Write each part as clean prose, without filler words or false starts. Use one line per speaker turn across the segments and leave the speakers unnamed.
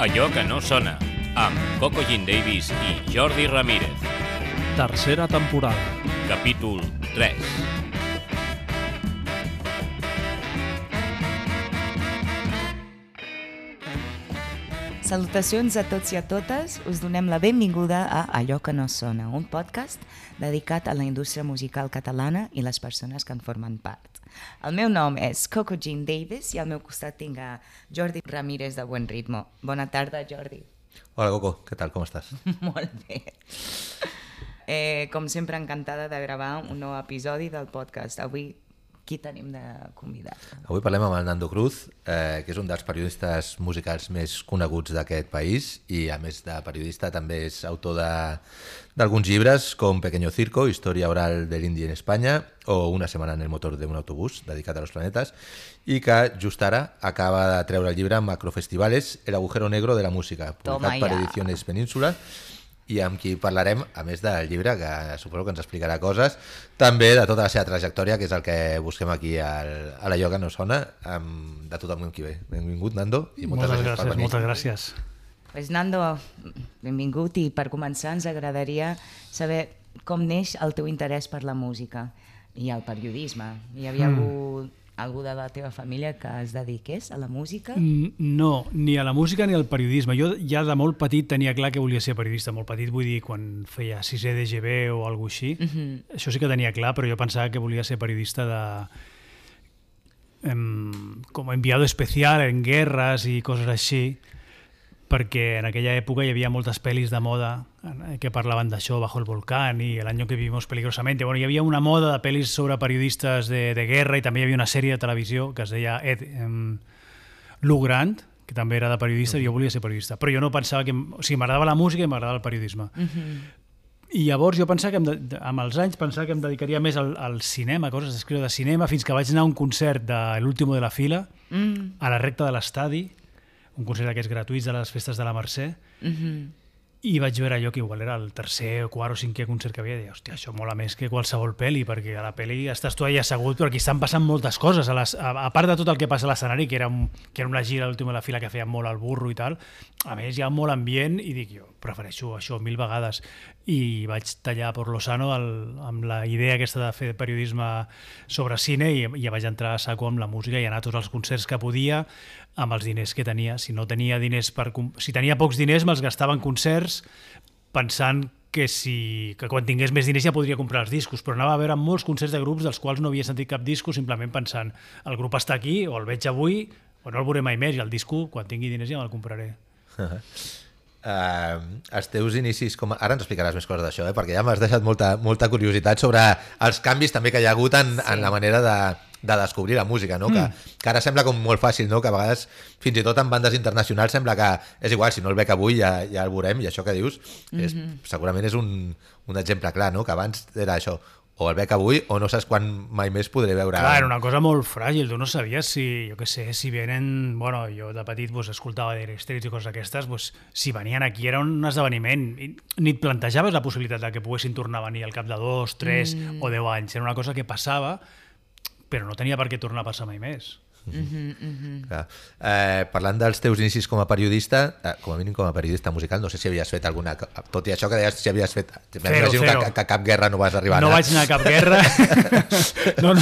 Allò que no sona, amb Coco Jean Davis i Jordi Ramírez.
Tercera temporada.
Capítol 3.
Salutacions a tots i a totes. Us donem la benvinguda a Allò que no sona, un podcast dedicat a la indústria musical catalana i les persones que en formen part. El meu nom és Coco Jean Davis i al meu costat tinc a Jordi Ramírez de Buen Ritmo. Bona tarda, Jordi.
Hola, Coco. Què tal? Com estàs?
Molt bé. Com sempre, encantada de gravar un nou episodi del podcast. Avui, qui tenim de convidat?
Avui parlem amb el Nando Cruz, que és un dels periodistes musicals més coneguts d'aquest país i, a més de periodista, també és autor d'alguns llibres com Pequeño Circo, Historia oral del indie en España, o Una semana en el motor de un autobús, dedicat a los planetes, i que just ara acaba de treure el llibre Macrofestivales, el agujero negro de la música, publicat per Ediciones Península, i amb qui parlarem, a més del llibre, que suposo que ens explicarà coses, també de tota la seva trajectòria, que és el que busquem aquí a l'Allò que no sona, de tot el món qui ve. Benvingut, Nando, i moltes gràcies per venir.
Moltes gràcies.
Pues Nando, benvingut, i per començar ens agradaria saber com neix el teu interès per la música i el periodisme. Hi havia algú de la teva família que es dediqués a la música?
No, ni a la música ni al periodisme. Jo ja de molt petit tenia clar que volia ser periodista. Molt petit vull dir quan feia 6è d'EGB o alguna cosa així. Això sí que tenia clar, però jo pensava que volia ser periodista com enviado especial en guerres i coses així, perquè en aquella època hi havia moltes pel·lis de moda que parlaven d'això, Bajo el volcán i El año que vivimos peligrosamente. Bueno, hi havia una moda de pel·lis sobre periodistes de guerra i també hi havia una sèrie de televisió que es deia Lou Grant, que també era de periodista, i jo volia ser periodista. Però jo no pensava que... O sigui, m'agradava la música i m'agradava el periodisme. I llavors jo pensava que amb els anys pensava que em dedicaria més al cinema, coses d'escriure de cinema, fins que vaig anar a un concert de L'último de la fila, a la recta de l'estadi, un concert d'aquests gratuïts de les festes de la Mercè, i vaig veure allò que igual era el tercer o quart o cinquè concert que havia, i deia, hòstia, això mola més que qualsevol pel·li, perquè a la pel·li estàs tu allà assegut, però aquí estan passant moltes coses, a part de tot el que passa a l'escenari, que era una gira a l'última de la fila que feia molt al burro i tal, a més hi ha molt ambient, i dic, jo prefereixo això 1000 vegades, i vaig tallar per Lozano amb la idea aquesta de fer periodisme sobre cine, i ja vaig entrar a saco amb la música i anar a tots els concerts que podia, amb els diners que tenia. Si tenia pocs diners me'ls gastava en concerts pensant que quan tingués més diners ja podria comprar els discos, però anava a veure molts concerts de grups dels quals no havia sentit cap disco, simplement pensant, el grup està aquí, o el veig avui, o no el veuré mai més, i el disco, quan tingui diners ja me'l compraré.
Els teus inicis, ara ens explicaràs més coses d'això, perquè ja m'has deixat molta curiositat sobre els canvis també que hi ha hagut en la manera de descobrir la música, no? Que ara sembla com molt fàcil, no? Que a vegades, fins i tot en bandes internacionals, sembla que és igual, si no el bec avui ja el veurem, i això que dius segurament és un exemple clar, no? Que abans era això, o el bec avui o no saps quan mai més podré veure...
Clar, era una cosa molt fràgil, tu no sabies si venen... Bueno, jo de petit escoltava Dire Straits i coses aquestes, si venien aquí era un esdeveniment, ni et plantejaves la possibilitat que poguessin tornar a venir al cap de 2, 3 o 10 anys, era una cosa que passava, però no tenia per què tornar a passar mai més.
Parlant dels teus inicis com a periodista, com a mínim com a periodista musical, no sé si havies fet alguna... Tot i això que deies, si havies fet...
Zero.
Que a cap guerra no vas arribar a anar.
No vaig anar a cap guerra, no,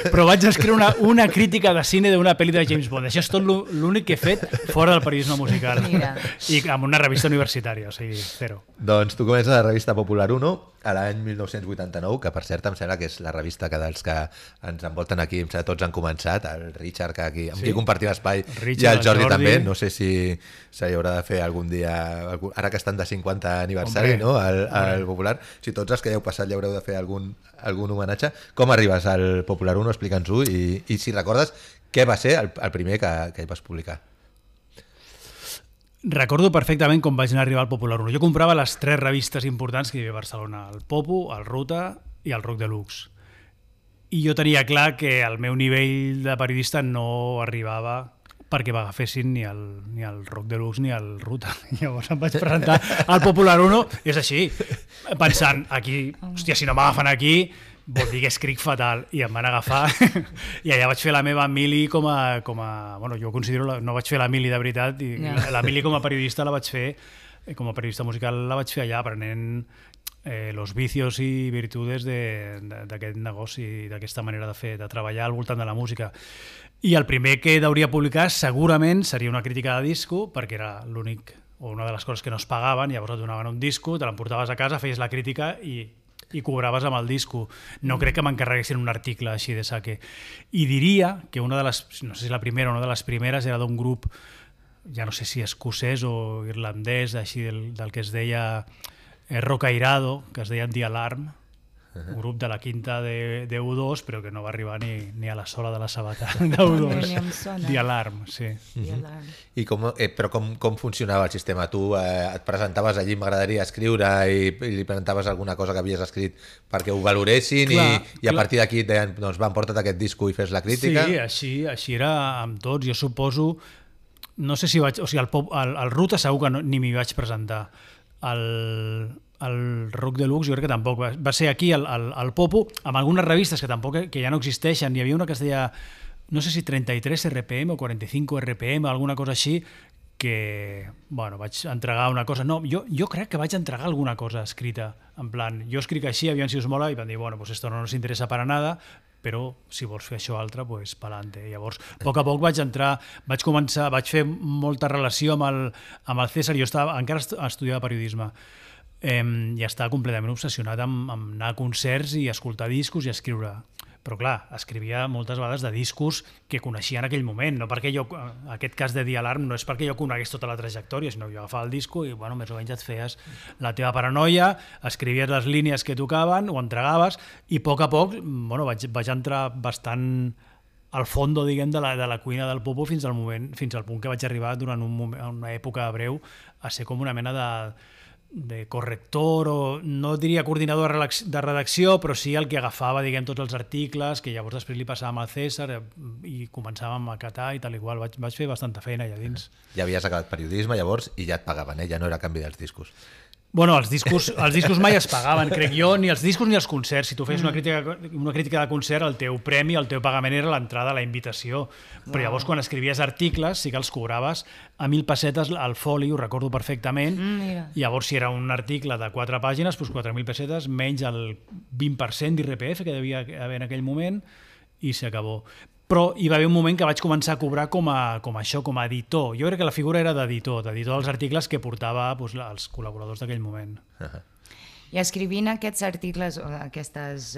però vaig escriure una crítica de cine d'una pel·li de James Bond. Això és tot l'únic que he fet fora del periodisme musical.
Mira.
I amb una revista universitària, o sigui, zero.
Doncs tu comences a la revista Popular 1 a l'any 1989, que per cert em sembla que és la revista que dels que ens envolten aquí, em sembla tots han començat, el Richard, que aquí, amb qui compartim espai, i el Jordi també, no sé si s'hi haurà de fer algun dia, ara que estan de 50 aniversari, no? Al Popular, si tots els que heu passat hi haureu de fer algun homenatge. Com arribes al Popular 1? Explica'ns-ho, i si recordes què va ser el primer que vas publicar.
Recordo perfectament com vaig anar a arribar al Popular 1. Jo comprava les 3 revistes importants que hi havia a Barcelona, el Popu, el Ruta i el Rock Deluxe. I jo tenia clar que el meu nivell de periodista no arribava perquè m'agafessin ni el Rock Deluxe ni el Ruta. Llavors em vaig presentar al Popular 1, és així, pensant, aquí, hòstia, si no m'agafen aquí, vol dir que escric fatal, i em van agafar i allà vaig fer la meva mili com a bueno, jo considero, no vaig fer la mili de veritat, i la mili com a periodista la vaig fer, com a periodista musical la vaig fer allà, aprenent los vicios i virtudes d'aquest negoci, d'aquesta manera de fer, de treballar al voltant de la música. I el primer que hauria publicar segurament seria una crítica de disco, perquè era l'únic o una de les coses que no es pagaven, llavors et donaven un disco, te l'emportaves a casa, feies la crítica i cobraves amb el disco. No crec que m'encarreguessin un article així de saque. I diria que una de les, no sé si la primera o una de les primeres, era d'un grup, ja no sé si escocès o irlandès, així del que es deia Rock Airado, que es deia The Alarm, un grup de la quinta de U2, però que no va arribar ni a la sola de la sabata d'U2. The Alarm, sí.
I però com funcionava el sistema? Tu et presentaves allí, m'agradaria escriure, i li presentaves alguna cosa que havies escrit perquè ho valoressin, i a partir d'aquí et deien, doncs va, emporta't aquest disco i fes la crítica?
Sí, així era amb tots. Jo suposo, no sé si vaig, o sigui, al Ruta segur que ni m'hi vaig presentar. El Rock Deluxe jo crec que tampoc. Va ser aquí al Popo, amb algunes revistes que ja no existeixen. Hi havia una que es deia, no sé si 33 RPM o 45 RPM, alguna cosa així, que, bueno, vaig entregar una cosa. No, jo crec que vaig entregar alguna cosa escrita, en plan, jo escric així, aviam si us mola, i van dir, bueno, pues esto no nos interesa para nada, però si vols fer això altre, pues pa'lante. Llavors, a poc vaig fer molta relació amb el César. Jo encara estudiava periodisme, i estava completament obsessionat amb anar a concerts i escoltar discos i escriure. Però clar, escrivia moltes vegades de discos que coneixia en aquell moment, no perquè jo, aquest cas de The Alarm no és perquè jo conegués tota la trajectòria, sinó que jo agafava el disco i, bueno, més o menys et feies la teva paranoia, escrivies les línies que tocaven, ho entregaves, i a poc, bueno, vaig entrar bastant al fondo, diguem, de la cuina del Popo fins al punt que vaig arribar durant una època breu a ser com una mena de corrector, o no diria coordinador de redacció, però sí el que agafava, diguem, tots els articles, que llavors després li passàvem al César i començàvem a catar i tal i qual. Vaig fer bastanta feina allà dins.
Ja havies acabat periodisme llavors i ja et pagaven, ja no era a canvi dels discos.
Bueno, els discos mai es pagaven, crec jo, ni els discos ni els concerts. Si tu feies una crítica de concert, el teu premi, el teu pagament era l'entrada a la invitació. Però llavors, quan escrivies articles, sí que els cobraves a 1.000 pessetes al foli, ho recordo perfectament. Llavors, si era un article de 4 pàgines, doncs 4.000 pessetes menys el 20% d'IRPF que devia haver en aquell moment, i s'acabó. Però hi va haver un moment que vaig començar a cobrar com a editor. Jo crec que la figura era d'editor dels articles que portava els col·laboradors d'aquell moment.
I escrivint aquests articles, aquestes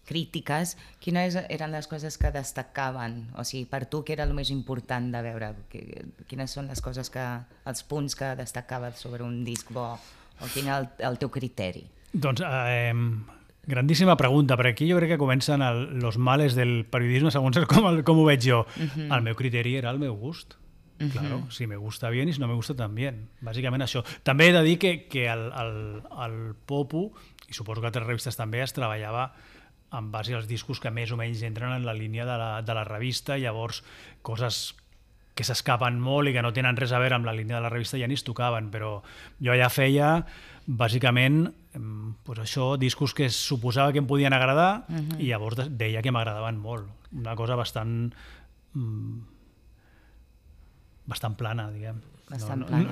crítiques, quines eren les coses que destacaven? O sigui, per tu, què era el més important de veure? Quines són les coses els punts que destacaves sobre un disc bo? O quin era el teu criteri?
Doncs... grandíssima pregunta, perquè aquí jo crec que comencen los males del periodisme segons com ho veig jo. El meu criteri era el meu gust. Claro, si me gusta bien y si no me gusta también. Bàsicament això. També he de dir que al Popo, i suposo que altres revistes també, es treballava en base als discos que més o menys entren en la línia de la revista, llavors coses que s'escapen molt i que no tenen res a veure amb la línia de la revista ja ni es tocaven, però jo ja feia bàsicament això, discos que suposava que em podien agradar i llavors deia que m'agradaven molt. Una cosa bastant plana, diguem.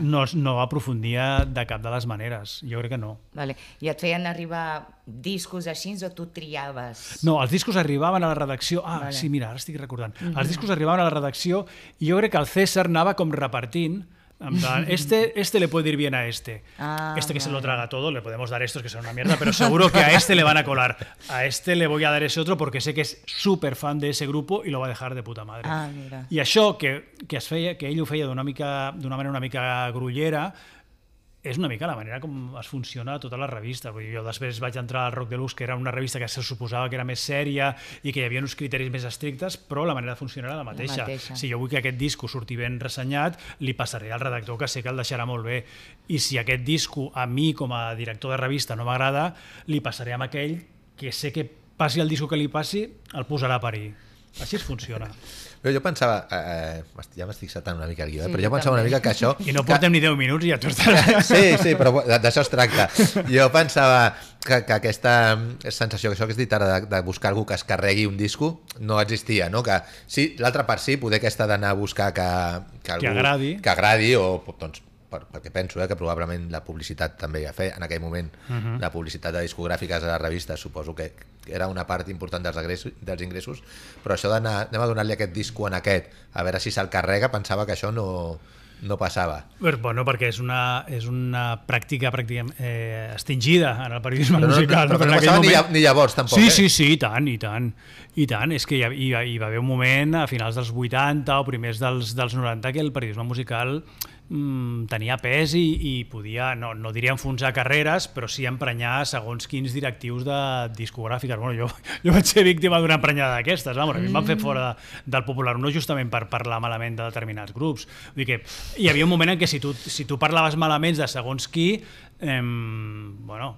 No aprofundia de cap de les maneres, jo crec que no.
I et feien arribar discos així o tu triaves?
No, els discos arribaven a la redacció... Sí, mira, ara estic recordant. Els discos arribaven a la redacció i jo crec que el César anava com repartint, en plan, este le puede ir bien a este que se lo traga todo, le podemos dar estos que son una mierda, pero seguro que a este le van a colar, a este le voy a dar ese otro porque sé que es súper fan de ese grupo y lo va a dejar de puta madre. I això que ell ho feia d'una manera una mica grullera, és una mica la manera com es funciona tota la revista. Jo després vaig entrar al Rock Deluxe, que era una revista que se suposava que era més sèria i que hi havia uns criteris més estrictes, però la manera de funcionar era la mateixa. Si jo vull que aquest disco surti ben ressenyat, li passaré al redactor, que sé que el deixarà molt bé. I si aquest disco a mi, com a director de revista, no m'agrada, li passaré amb aquell que sé que passi el disco que li passi, el posarà a parir. Així es funciona.
Però jo pensava, ja m'estic saltant una mica el guió,
Sí,
però jo
jo
pensava una
també.
mica que això...
I no portem ni 10 minuts i ja tu estàs...
Sí, però d'això es tracta. Jo pensava que aquesta sensació, que això que has dit ara, de buscar algú que es carregui un disco, no existia, no? Que sí, l'altra part sí, poder aquesta d'anar a buscar que algú...
Que agradi.
O doncs, perquè penso que probablement la publicitat també ja feia, en aquell moment, la publicitat de discogràfiques a les revistes, suposo que era una part important dels ingressos, però això d'anar, anem a donar-li aquest disco en aquest, a veure si se'l carrega, pensava que això no passava.
Bueno, perquè és una pràctica pràcticament extingida en el periodisme
Però
musical.
no
en aquell
passava
moment...
ni llavors, tampoc.
Sí, i tant. És que hi va haver un moment a finals dels 80 o primers dels 90 que el periodisme musical tenia pes i podia, no diria enfonsar carreres, però sí emprenyar segons quins directius de discogràfiques. Bueno, jo vaig ser víctima d'una emprenyada d'aquestes. A mi em van fer fora del Popular, no justament per parlar malament de determinats grups. Vull dir que hi havia un moment en què si tu parlaves malament de segons qui, bueno,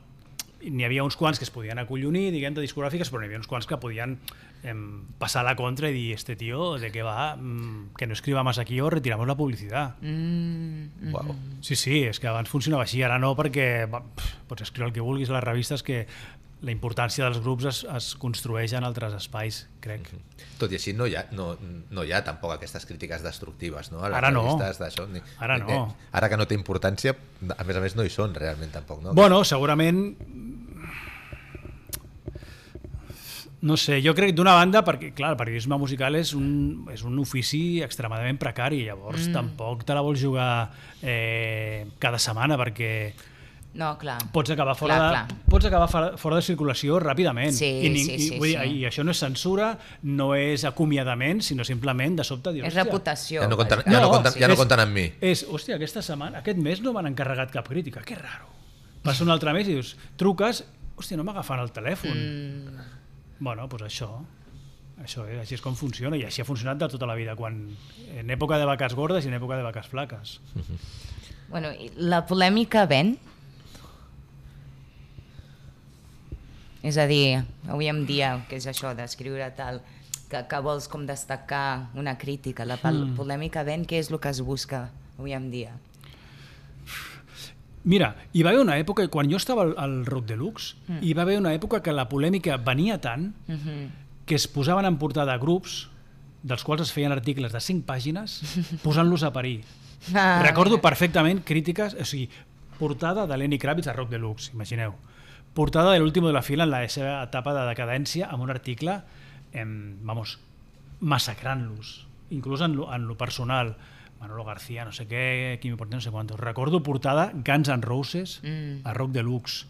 n'hi havia uns quants que es podien acollonir, diguem, de discogràfiques, però n'hi havia uns quants que podien pasar la contra y dir, este tío, ¿de qué va? Que no escriba más aquí o retiramos la publicidad.
Wow.
Sí, és que abans funcionava així, ara no, perquè pots escriure el que vulguis a les revistes, que la importància dels grups es construeix en altres espais, crec.
Tot i així no hi ha tampoc aquestes crítiques destructives, no? A les
Ara no.
revistes d'això.
Ara no.
Ara que no té importància, a més no hi són realment tampoc, no?
Bueno, segurament... No sé, jo crec d'una banda, perquè clar, el periodisme musical és un ofici extremadament precari, llavors tampoc te la vols jugar cada setmana, perquè
No, clar.
pots acabar fora de circulació ràpidament.
Sí,
Vull dir, i això no és censura, no és acomiadament, sinó simplement de sobte dir,
És reputació.
Ja no
vaja.
compten amb mi.
Hòstia, aquest mes no m'han encarregat cap crítica, que raro. Passa un altre mes i dius, truques, hòstia, no m'agafen el telèfon. Bueno, doncs això és, així és com funciona, i així ha funcionat de tota la vida, en època de vaques gordes i en època de vaques flaques.
Bueno, i la polèmica ven? És a dir, avui en dia, que és això d'escriure tal, que vols com destacar una crítica, la polèmica ven, què és el que es busca avui en dia?
Mira, hi va haver una època, quan jo estava al Rock Deluxe, hi va haver una època que la polèmica venia tant que es posaven en portada grups dels quals es feien articles de 5 pàgines posant-los a parir. Recordo perfectament crítiques, o sigui, portada de Lenny Kravitz a Rock Deluxe, imagineu. Portada de l'último de la fila en la seva etapa de decadència amb un article, massacrant-los, inclús en lo personal. Manolo García, no sé què, Quimi Porter, no sé quantos. Recordo portada Guns N' Roses a Rock Deluxe.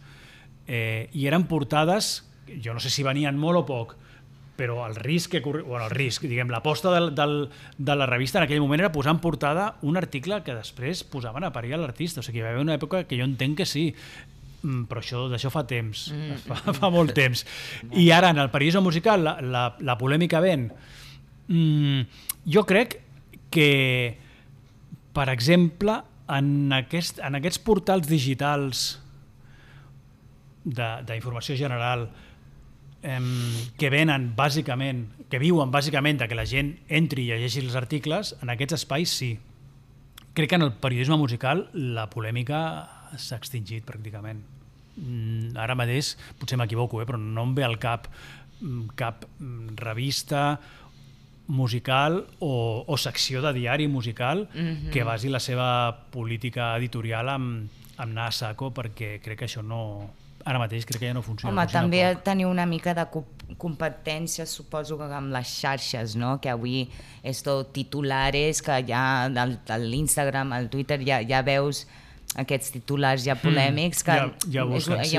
I eren portades, jo no sé si venien molt o poc, però el risc que corria... Bueno, el risc, diguem, l'aposta de la revista en aquell moment era posar en portada un article que després posaven a parir a l'artista. O sigui, hi va haver una època que jo entenc que sí, però d'això fa temps, fa molt temps. I ara, en el periodisme musical, la polèmica ven. Jo crec que, per exemple, en aquests portals digitals d'informació general que venen bàsicament, que viuen bàsicament de que la gent entri i llegeixi els articles, en aquests espais sí. Crec que en el periodisme musical la polèmica s'ha extingit pràcticament. Ara mateix, potser m'equivoco, però no em ve al cap revista musical o secció de diari musical que basi la seva política editorial amb anar a saco, perquè crec que això no... Ara mateix crec que ja no funciona.
Home, també teniu una mica de competència, suposo, amb les xarxes, no? Que avui és tot titulares, que ja a l'Instagram, al Twitter, ja veus aquests titulars ja polèmics, que hi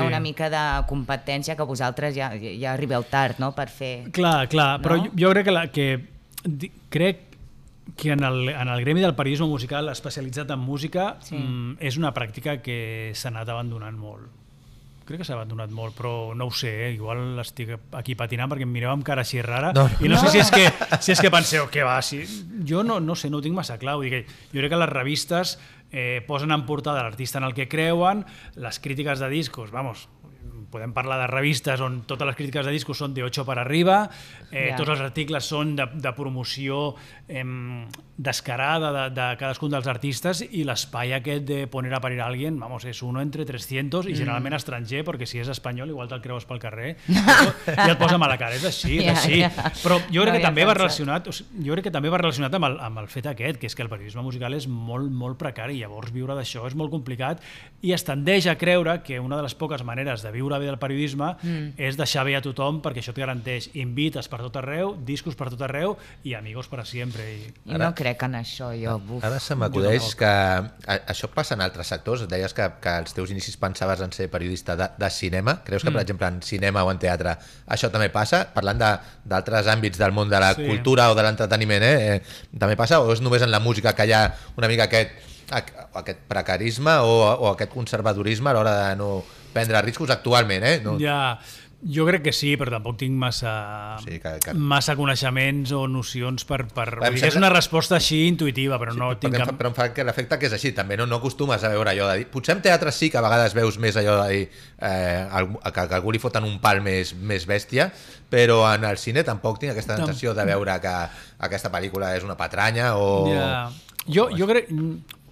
ha una mica de competència que vosaltres ja arribeu tard, no?, per fer... Clar,
però jo crec que en el gremi del periodisme musical especialitzat en música és una pràctica que s'ha anat abandonant molt. Crec que s'ha abandonat molt, però no ho sé, igual estic aquí patinant perquè em mireu amb cara així rara i no sé si és que penseu que va, jo no sé, no ho tinc massa clar, vull dir que jo crec que les revistes posen en portada l'artista en el que creuen, les crítiques de discos, podem parlar de revistes on totes les crítiques de discos són de 8 per arriba, tots els articles són de promoció descarada de cadascun dels artistes, i l'espai aquest de poner a parir a alguien, vamos, és uno entre 300 i generalment estranger, perquè si és espanyol igual te'l creus pel carrer i et posa mala cara, és així, és així. Però jo crec que també va relacionat amb el fet aquest, que és que el periodisme musical és molt, molt precari, i llavors viure d'això és molt complicat, i es tendeix a creure que una de les poques maneres de viure bé del periodisme és deixar bé a tothom, perquè això et garanteix invites per tot arreu, discos per tot arreu i amigos per a sempre.
I no crec en això, jo.
Ara se m'acudeix que això passa en altres sectors. Deies que als teus inicis pensaves en ser periodista de cinema. Creus que, per exemple, en cinema o en teatre això també passa? Parlant d'altres àmbits del món de la cultura o de l'entreteniment, també passa? O és només en la música que hi ha una mica aquest precarisme o aquest conservadorisme a l'hora de no prendre riscos actualment?
Ja, jo crec que sí, però tampoc tinc massa coneixements o nocions per... És una resposta així intuïtiva, però no tinc cap...
Però em fa l'efecte que és així, també no acostumes a veure allò de dir... Potser en teatre sí que a vegades veus més allò de dir que algú li foten un pal més bèstia, però en el cine tampoc tinc aquesta sensació de veure que aquesta pel·lícula és una patranya o...
Jo crec...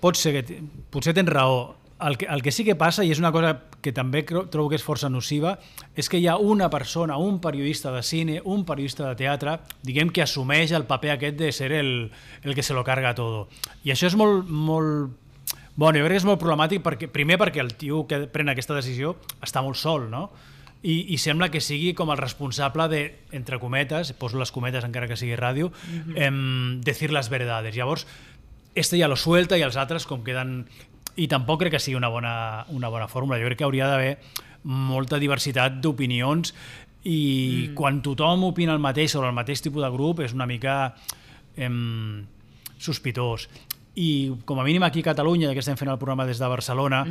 Potser tens raó. El que sí que passa, i és una cosa que també trobo que és força nociva, és que hi ha una persona, un periodista de cine, un periodista de teatre, diguem que assumeix el paper aquest de ser el que se lo carga todo. I això és molt... Bueno, jo crec que és molt problemàtic, primer perquè el tio que pren aquesta decisió està molt sol, no? I sembla que sigui com el responsable de, entre cometes, poso les cometes encara que sigui ràdio, decir les verdades. Llavors, ja lo suelta i els altres com queden... I tampoc crec que sigui una bona fórmula. Jo crec que hauria d'haver molta diversitat d'opinions i quan tothom opina el mateix sobre el mateix tipus de grup és una mica sospitós. I com a mínim aquí a Catalunya, ja que estem fent el programa des de Barcelona,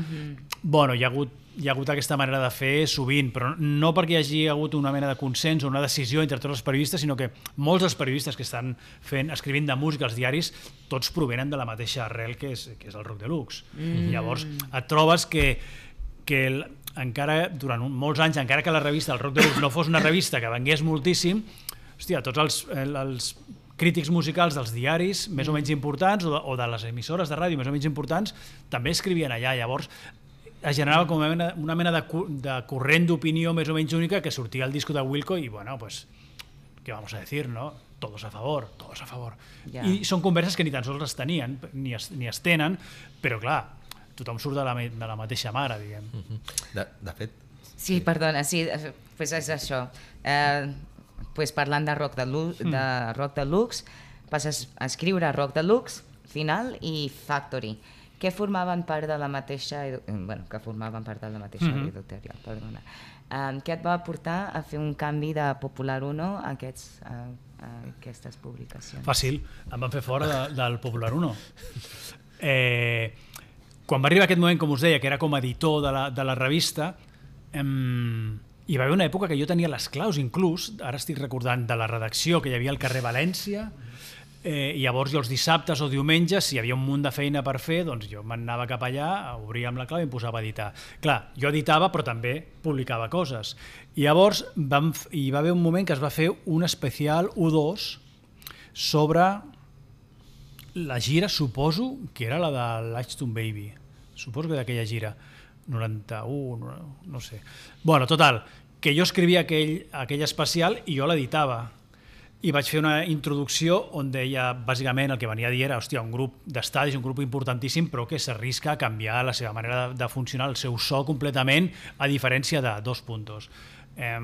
bueno, hi ha hagut aquesta manera de fer sovint, però no perquè hi hagi hagut una mena de consens o una decisió entre tots els periodistes, sinó que molts dels periodistes que estan escrivint de música als diaris, tots provenen de la mateixa arrel que és el Rock Deluxe. Llavors et trobes que encara durant molts anys, encara que la revista del Rock Deluxe no fos una revista que vengués moltíssim, hòstia, tots els crítics musicals dels diaris més o menys importants o de les emissores de ràdio més o menys importants també escrivien allà. Llavors es generava com una mena de corrent d'opinió més o menys única que sortia el disco de Wilco i, bueno, pues, ¿qué vamos a decir, no? Todos a favor, todos a favor. Yeah. I són converses que ni tan sols es tenien, ni es tenen, però clar, tothom surt de la mateixa mare, diguem.
De fet...
Sí, perdona, sí, pues és això. Pues parlant de Rock Deluxe, passes a escriure Rock Deluxe, Final i Factory, que formaven part de la mateixa editorial, perdona. Què et va portar a fer un canvi de Popular 1 a aquestes publicacions?
Fàcil, em van fer fora del Popular 1. Quan va arribar aquest moment, com us deia, que era com a editor de la revista, hi va haver una època que jo tenia les claus, inclús, ara estic recordant de la redacció que hi havia al carrer València, i llavors jo els dissabtes o diumenges, si hi havia un munt de feina per fer, doncs jo m'anava cap allà, obria amb la clau i em posava a editar. Clar, jo editava però també publicava coses. I llavors hi va haver un moment que es va fer un especial U2 sobre la gira, suposo que era la de l'Ashton Baby. Suposo que d'aquella gira. 91, no sé. Bueno, total, que jo escrivia aquell especial i jo l'editava. I vaig fer una introducció on deia, bàsicament, el que venia a dir era, hòstia, un grup d'estadis, un grup importantíssim, però que s'arrisca a canviar la seva manera de funcionar, el seu so completament, a diferència de dos puntos.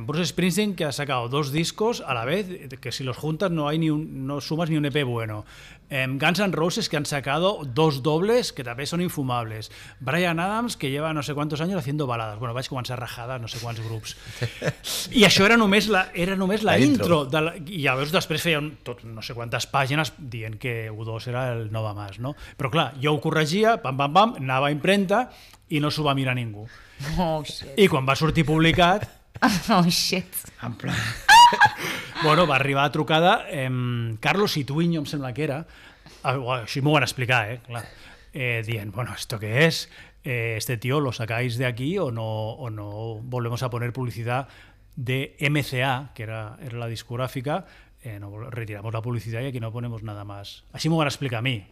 Bruce Springsteen, que ha sacado 2 discos a la vez, que si los juntas no sumas ni un EP bueno. Guns N' Roses, que han sacado 2 dobles que també són infumables. Bryan Adams, que lleva no sé cuántos años haciendo baladas. Bueno, vaig començar a rajar no sé quants grups. I això era només la intro. I llavors després feien no sé quantes pàgines dient que U2 era el Nova Mas, no? Però clar, jo ho corregia, pam, pam, pam, anava a impremta i no s'ho va mirar ningú.
Oh, shit.
I quan va sortir publicat...
Oh, shit.
En plan... Bueno, va arribar a trucada Carlos Ituinho, em sembla que era, així m'ho van explicar, clar, dient, bueno, ¿esto qué es? este tío lo sacáis de aquí o no volvemos a poner publicidad de MCA, que era la discográfica, retiramos la publicitat i aquí no ponemos nada más. Així m'ho van explicar a mi.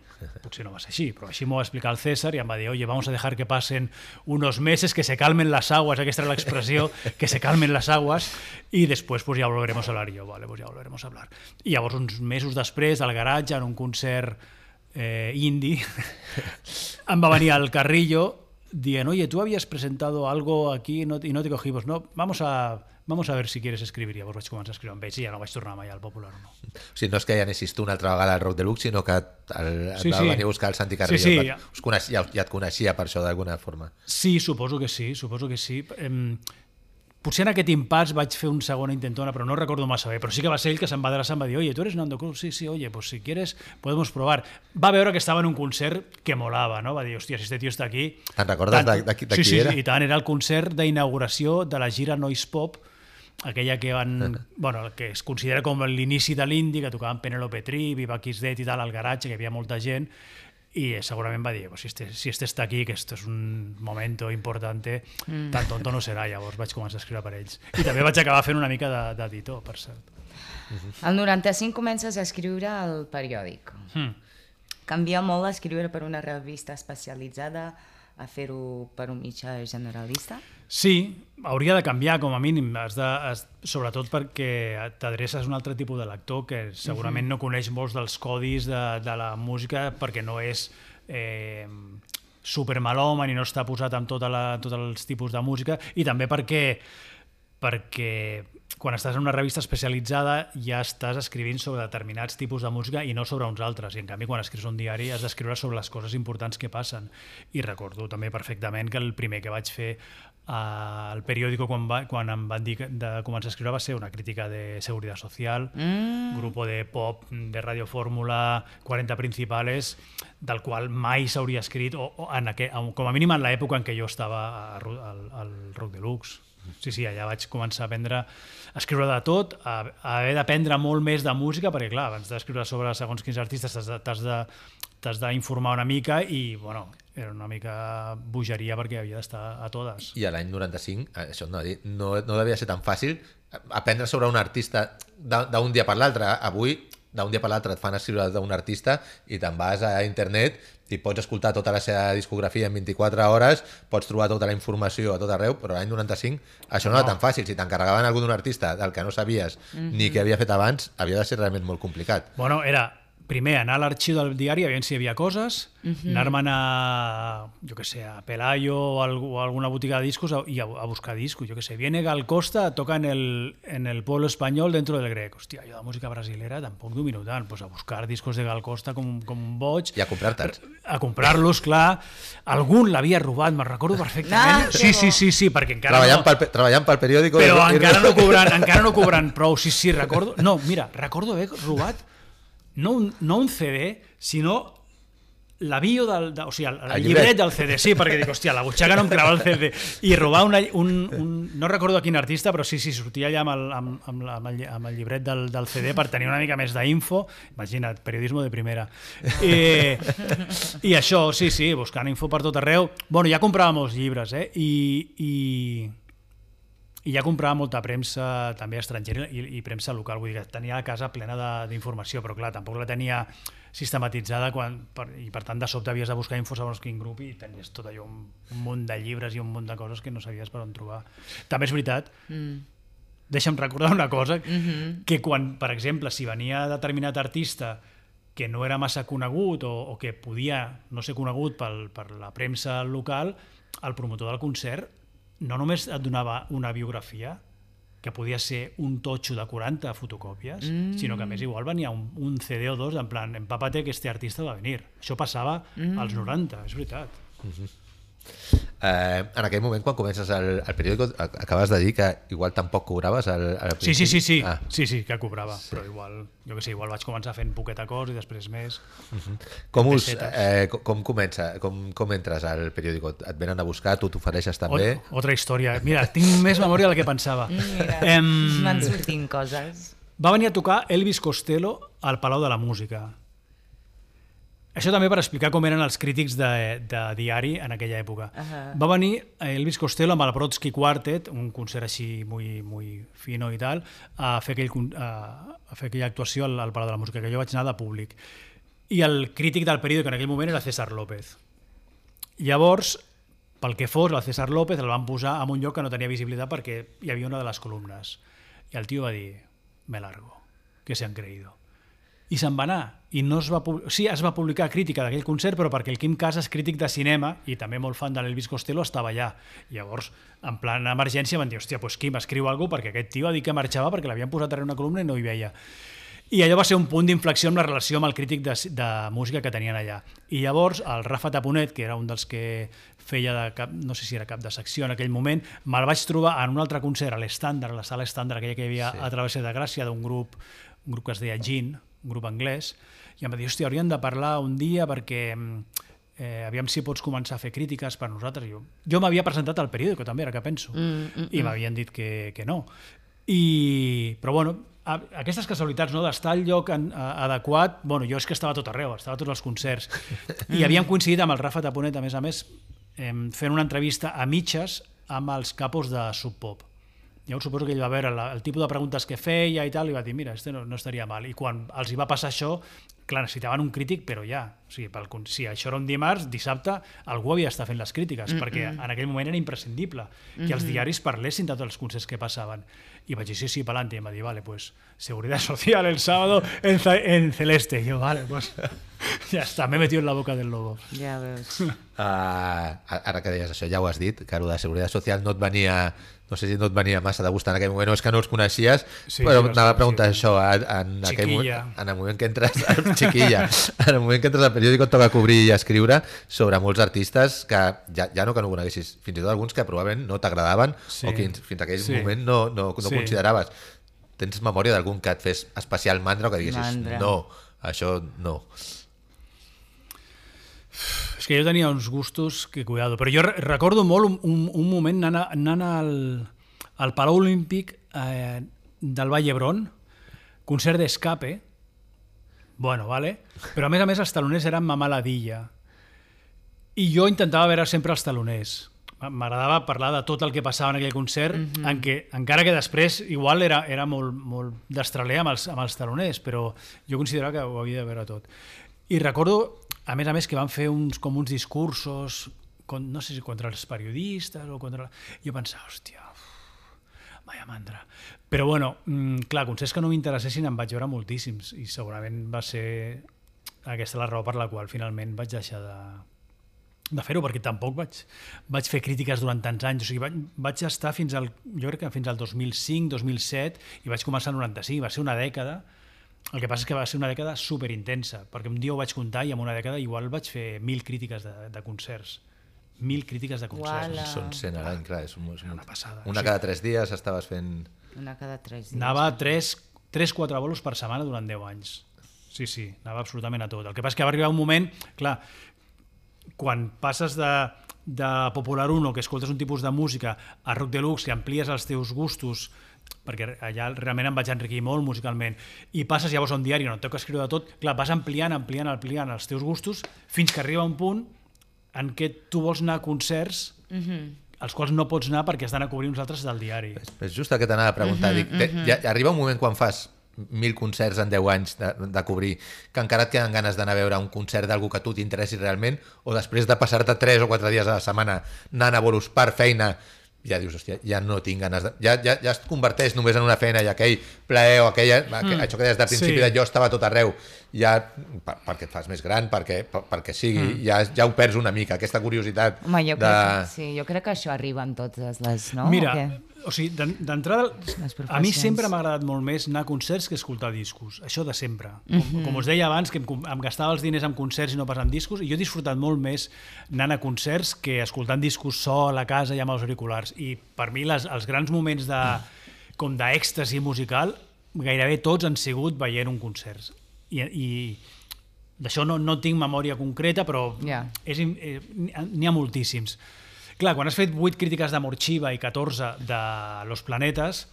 Potser no va ser així, però així m'ho va explicar el César i em va dir, oye, vamos a dejar que pasen unos meses, que se calmen las aguas, aquesta era l'expressió, que se calmen las aguas, i després pues, ja volveremos a hablar. I jo, vale, pues ja volveremos a hablar. I llavors, uns mesos després, al garatge, en un concert indie, em va venir al Carrillo dient, oye, tú habías presentado algo aquí y no te cogimos. No, vamos a ver si quieres escribir. Llavors vaig començar a escriure amb ells i ja no vaig tornar mai al Popular. No.
O sigui, no és que ja anessis tu una altra vegada al Rock Deluxe, sinó que et va venir a buscar el Santi Carrillo.
Sí.
Ja et coneixia per això d'alguna forma.
Sí, suposo que sí. Potser en aquest impàs vaig fer un segon intentona, però no recordo massa bé. Però sí que va ser ell que se'm va adreçar, em va dir, oye, ¿tú eres Nando Cruz? Sí, oye, pues si quieres podemos probar. Va veure que estava en un concert que molava, no? Va dir, hòstia, si este tio està aquí...
Te'n recordes de qui era?
Sí, i tant, era el concert d'inauguració de la gira Noise Pop, aquella que que es considera com l'inici de l'indie, que tocaven Penelope Tree, Viva Kiss Dead i tal, al garatge, que hi havia molta gent, i segurament va dir, pues si este està aquí, que esto es un momento importante, tan tonto no serà. Llavors vaig començar a escriure per ells. I també vaig acabar fent una mica d'editor, per cert.
El 95 comences a escriure al periòdic. Canvia molt escriure per una revista especialitzada a fer-ho per un mitjà generalista?
Sí, hauria de canviar com a mínim, sobretot perquè t'adreces a un altre tipus de lector que segurament no coneix molts dels codis de la música perquè no és supermalòman i no està posat amb tots els tipus de música, i també perquè quan estàs en una revista especialitzada ja estàs escrivint sobre determinats tipus de música i no sobre uns altres, i en canvi quan escrius un diari has d'escriure sobre les coses importants que passen. I recordo també perfectament que el primer que vaig fer al periòdico quan em van dir de començar a escriure va ser una crítica de Seguridad Social, grupo de pop de Radio Fórmula, 40 principales, del qual mai s'hauria escrit, com a mínim en l'època en què jo estava al Rock Deluxe. Sí, allà vaig començar a escriure de tot, a haver d'aprendre molt més de música, perquè clar, abans d'escriure sobre segons quins artistes t'has d'informar una mica i, bueno, era una mica bogeria perquè havia d'estar a totes.
I a l'any 95, això no devia ser tan fàcil aprendre sobre un artista d'un dia per l'altre. Avui, d'un dia per l'altre et fan escriure d'un artista i te'n vas a internet i pots escoltar tota la seva discografia en 24 hores, pots trobar tota la informació a tot arreu, però l'any 95 això no era tan fàcil. Si t'encarregaven algú d'un artista del que no sabies ni què havia fet abans, havia de ser realment molt complicat.
Bueno, era primer anar a l'arxiu del diari a veure si hi havia coses, anar-me'n a Pelayo o a alguna botiga de discos i a buscar discos. Viene Gal Costa, toca en el pueblo español dentro del grec. Hòstia, jo de música brasilera tampoc domino tant. Pues a buscar discos de Gal Costa com un boig.
I a comprar-te'ls.
A comprar-los, clar. Algun l'havia robat, me'n recordo perfectament. Sí, perquè encara
treballant pel periòdico...
Però encara no cobrant prou. Sí, recordo... No, mira, recordo haver robat no un CD, sinó la bio el llibret del CD, sí, perquè dic, hòstia, la butxaca no em crava el CD, i robar no recordo a quin artista, però sí, sortia allà amb el llibret del CD per tenir una mica més d'info. Imagina't, periodisme de primera. I això, sí, buscant info per tot arreu. Bueno, ja comprava molts llibres, i ja comprava molta premsa també estrangera i premsa local, vull dir que tenia la casa plena d'informació, però clar, tampoc la tenia sistematitzada i per tant de sobte havies de buscar info segons quin grup i tenies tot allò, un munt de llibres i un munt de coses que no sabies per on trobar. També és veritat, deixa'm recordar una cosa, que quan, per exemple, si venia determinat artista que no era massa conegut o que podia no ser conegut per la premsa local, el promotor del concert no només et donava una biografia, que podia ser un totxo de 40 fotocòpies, sinó que a més igual venia un CD o dos en plan, empápate que este artista va venir. Això passava als 90, és veritat.
En aquell moment, quan comences el periòdico, acabes de dir que igual tampoc cobraves al principi?
Sí, que cobrava, però igual vaig començar fent poqueta cosa i després més.
Com entres al periòdico? Et venen a buscar, tu t'ofereixes també?
Otra història. Mira, tinc més memòria del que pensava.
Van sortint coses.
Va venir a tocar Elvis Costello al Palau de la Música. Això també per explicar com eren els crítics de diari en aquella època. Va venir Elvis Costello amb el Brodsky Quartet, un concert així muy fino i tal, a fer aquella actuació al Palau de la Música, que jo vaig anar de públic. I el crític del període, que en aquell moment era César López. Llavors, pel que fos, el César López el van posar en un lloc que no tenia visibilitat perquè hi havia una de les columnes. I el tio va dir, me largo, que se han creído. I se'n va anar. I no es va sí, es va publicar crítica d'aquell concert, però perquè el Quim Casas, crític de cinema, i també molt fan de l'Elvis Costello, estava allà. Llavors, en plan emergència, van dir, hòstia, doncs Quim, escriu alguna cosa, perquè aquest tio ha dit que marxava perquè l'havien posat darrere una columna i no hi veia. I allò va ser un punt d'inflexió amb la relació amb el crític de música que tenien allà. I llavors el Rafa Taponet, que era un dels que feia de cap, no sé si era cap de secció en aquell moment, me'l vaig trobar en un altre concert a l'Estàndard, a la sala Estàndard, aquella que hi havia a Travesser de Gràcia, d'un grup que es deia Gin, un grup anglès, i em va dir, hòstia, hauríem de parlar un dia perquè aviam si pots començar a fer crítiques per nosaltres. Jo m'havia presentat al periòdico també, ara que penso, i m'havien dit que no. Però bueno, aquestes casualitats, no, d'estar al lloc adequat, bueno, jo és que estava a tot arreu, estava a tots els concerts, i havíem coincidit amb el Rafa Taponet, a més, fent una entrevista a mitges amb els capos de Sub Pop. Llavors suposo que ell va veure el tipus de preguntes que feia i tal, i va dir, mira, no estaria mal. I quan els hi va passar això, clar, necessitaven un crític, però ja. O sigui, si això era un dimarts, dissabte, algú havia d'estar fent les crítiques, perquè en aquell moment era imprescindible que els diaris parlessin de tots els concerts que passaven. I vaig dir, sí, pa'lante. I em va dir, vale, pues, Seguridad Social el sábado en Celeste. I jo, vale, pues, ja està, m'he metido en la boca del lobo.
Ja veus.
Ara que deies això, ja ho has dit, que el de Seguridad Social no et venia... No sé si no et venia massa de gust en aquell moment o és que no els coneixies, però anava a preguntar això en el moment que entres xiquilla, en el moment que entres al periòdic et toca cobrir i escriure sobre molts artistes que ja no que no coneguessis, fins i tot alguns que probablement no t'agradaven o que fins a aquell moment no consideraves. Tens memòria d'algun que et fes especial mandra o que diguessis no, això no?
És que jo tenia uns gustos que cuidado, però jo recordo molt un moment anant al Palau Olímpic del Vall d'Hebron, concert d'Escape, bueno, vale, però a més els taloners eren Mamà Ladilla, i jo intentava veure sempre els taloners. M'agradava parlar de tot el que passava en aquell concert, encara que després igual era molt destraler amb els taloners, però jo considerava que ho havia de veure tot. I recordo, a més, que van fer uns discursos, no sé si contra els periodistes o contra... Jo pensava, hòstia, vaya mandra. Però bueno, clar, concerts que no m'interessessin em vaig veure moltíssims i segurament va ser aquesta la raó per la qual finalment vaig deixar de fer-ho, perquè tampoc vaig fer crítiques durant tants anys. O sigui, vaig estar jo crec que fins al 2005, 2007 i vaig començar el 95, va ser una dècada. El que passa és que va ser una dècada superintensa, perquè un dia ho vaig comptar i en una dècada igual vaig fer 1.000 crítiques de concerts. 1.000 crítiques de concerts.
Uala.
Són 100 a l'any, clar. És
una passada.
Una cada 3 dies estaves fent...
Una cada 3 dies.
Anava 3-4 bolos per setmana durant 10 anys. Sí, anava absolutament a tot. El que passa és que va arribar un moment, clar, quan passes de Popular 1, que escoltes un tipus de música, a Rock Deluxe, que amplies els teus gustos, perquè allà realment em vaig enriquir molt musicalment, i passes llavors a un diari on et toca escriure de tot, clar, vas ampliant els teus gustos fins que arriba un punt en què tu vols anar a concerts als quals no pots anar perquè has d'anar a cobrir uns altres del diari.
És just el que t'anava a preguntar. Arriba un moment quan fas 1.000 concerts en 10 anys de cobrir, que encara et queden ganes d'anar a veure un concert d'algú que a tu t'interessi realment, o després de passar-te 3 o 4 dies a la setmana anant a bolos per feina, ja dius, hòstia, ja no tinc ganes de... Ja es converteix només en una feina i aquell plaer o això que des del principi de jo estava a tot arreu, ja perquè et fas més gran, perquè sigui, ja ho perds una mica, aquesta curiositat.
Home, jo crec que això arriba en totes les... No?
Mira, o sigui, d'entrada, a mi sempre m'ha agradat molt més anar a concerts que escoltar discos, això de sempre. Com us deia abans, que em gastava els diners en concerts i no pas en discos, i jo he disfrutat molt més anant a concerts que escoltant discos sol a casa i amb els auriculars. I per mi els grans moments com d'èxtasi musical gairebé tots han sigut veient un concert. I d'això no tinc memòria concreta, però n'hi ha moltíssims. Clar, quan has fet 8 crítiques de Morxiva i 14 de Los Planetes,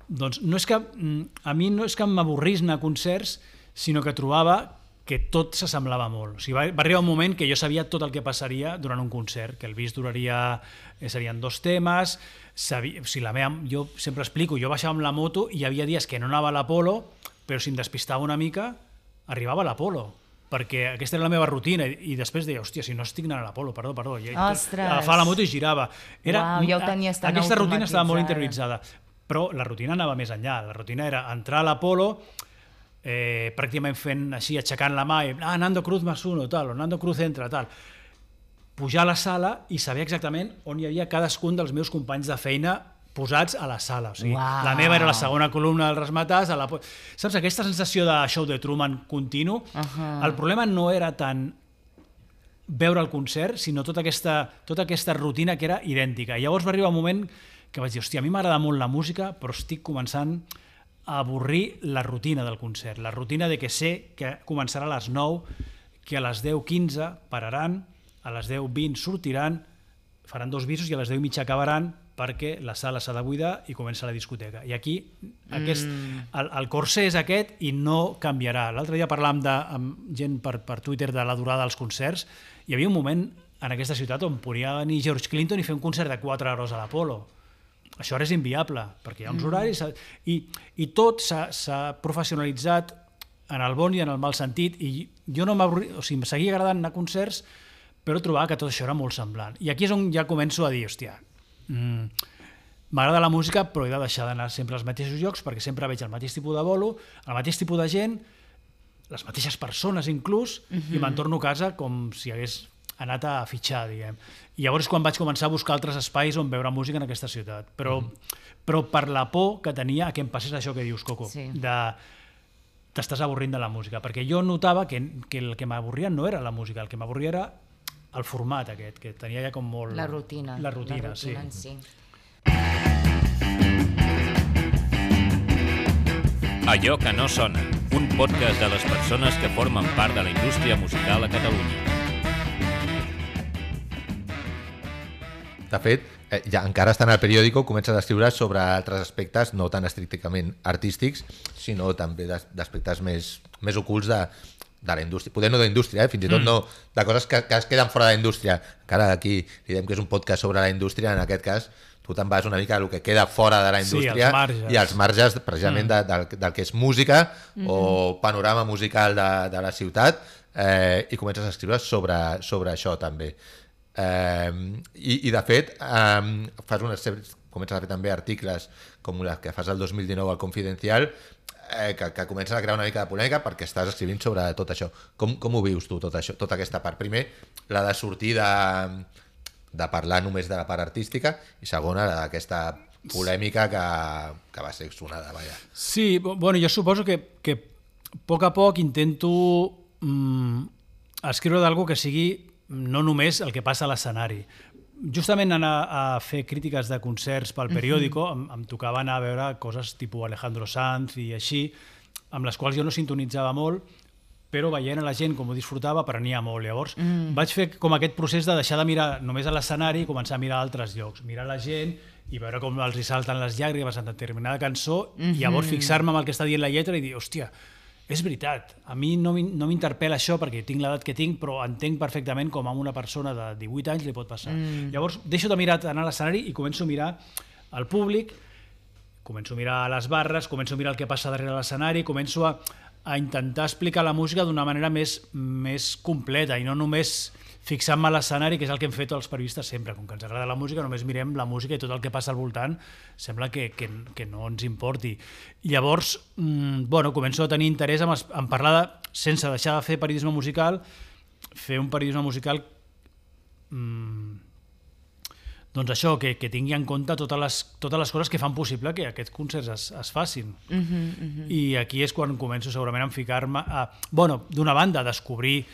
doncs a mi no és que m'avorrís anar a concerts, sinó que trobava que tot s'assemblava molt. O sigui, va arribar un moment que jo sabia tot el que passaria durant un concert, que el bis serien 2 temes, jo sempre explico, jo baixava amb la moto i hi havia dies que no anava a l'Apolo, però si em despistava una mica, arribava a l'Apolo, perquè aquesta era la meva rutina, i després deia, hòstia, si no estic anant a l'Apolo, perdó, i agafava la moto i girava.
Ja ho tenies tan
aquesta rutina estava molt
automatitzada.
interioritzada, però la rutina anava més enllà, la rutina era entrar a l'Apolo, pràcticament fent així, aixecant la mà, Nando Cruz más uno, tal, o Nando Cruz entra, tal, pujar a la sala i saber exactament on hi havia cadascun dels meus companys de feina posats a la sala. O sigui, la meva era la segona columna del Razzmatazz. Saps, aquesta sensació de show de Truman continu, el problema no era tant veure el concert, sinó tota aquesta rutina que era idèntica. I llavors va arribar un moment que vaig dir, hòstia, a mi m'agrada molt la música, però estic començant a avorrir la rutina del concert, la rutina de que sé que començarà a les 9, que a les 10:15 pararan, a les 10:20 sortiran, faran 2 bisos i a les 10:30 acabaran perquè la sala s'ha de buidar i comença la discoteca. I aquí el corsé és aquest i no canviarà. L'altre dia parlàvem amb gent per Twitter de la durada dels concerts. Hi havia un moment en aquesta ciutat on podia venir George Clinton i fer un concert de 4 hores a l'Apolo. Això ara és inviable, perquè hi ha uns horaris i tot s'ha professionalitzat en el bon i en el mal sentit, i jo no m'avorria, o sigui, em seguia agradant anar a concerts, però trobava que tot això era molt semblant. I aquí és on ja començo a dir, hòstia, m'agrada la música, però he de deixar d'anar sempre als mateixos llocs, perquè sempre veig el mateix tipus de bolo, el mateix tipus de gent, les mateixes persones inclús, i me'n torno a casa com si hagués anat a fitxar, diguem. I llavors quan vaig començar a buscar altres espais on veure música en aquesta ciutat. Però per la por que tenia que em passés això que dius, Coco, t'estàs avorrint de la música, perquè jo notava que el que m'avorria no era la música, el que m'avorria era el format aquest, que tenia ja com molt...
La rutina.
La rutina, sí.
En si.
Allò que no sona, un podcast de les persones que formen part de la indústria musical a Catalunya.
De fet, ja encara estant al periòdico, comences a escriure sobre altres aspectes no tan estrictament artístics, sinó també d'aspectes més ocults de la indústria. Poder no d'indústria, fins i tot no de coses que es queden fora de la indústria. Encara aquí li diem que és un podcast sobre la indústria, en aquest cas tu te'n vas una mica del que queda fora de la indústria i els marges precisament del que és música o panorama musical de la ciutat, i comences a escriure sobre això també. I de fet comences a fer també articles com els que fas el 2019 al Confidencial, que comencen a crear una mica de polèmica perquè estàs escrivint sobre tot això. Com ho vius tu, tot això, tota aquesta part? Primer, la de sortir de parlar només de la part artística, i segona, d'aquesta polèmica que va ser sonada, vaja.
Sí, bueno, jo suposo que a poc intento escriure d'algú que sigui no només el que passa a l'escenari. Justament anar a fer crítiques de concerts pel periòdico, em tocava anar a veure coses tipus Alejandro Sanz i així, amb les quals jo no sintonitzava molt, però veient a la gent com ho disfrutava aprenia molt. Llavors vaig fer com aquest procés de deixar de mirar només a l'escenari i començar a mirar altres llocs, mirar la gent i veure com els hi salten les llàgrimes en determinada cançó, i llavors fixar-me en el que està dient la lletra i dir, hòstia, és veritat, a mi no m'interpel·la això perquè tinc l'edat que tinc, però entenc perfectament com a una persona de 18 anys li pot passar. Llavors deixo de mirar anar a l'escenari i començo a mirar el públic, començo a mirar les barres, començo a mirar el que passa darrere l'escenari, començo a intentar explicar la música d'una manera més completa i no només fixant-me a l'escenari, que és el que hem fet els periodistes sempre. Com que ens agrada la música, només mirem la música i tot el que passa al voltant sembla que no ens importi. I llavors, començo a tenir interès en parlar, sense deixar de fer periodisme musical, fer un periodisme musical doncs això, que tingui en compte totes les coses que fan possible que aquests concerts es facin. I aquí és quan començo segurament a ficar-me d'una banda, a descobrir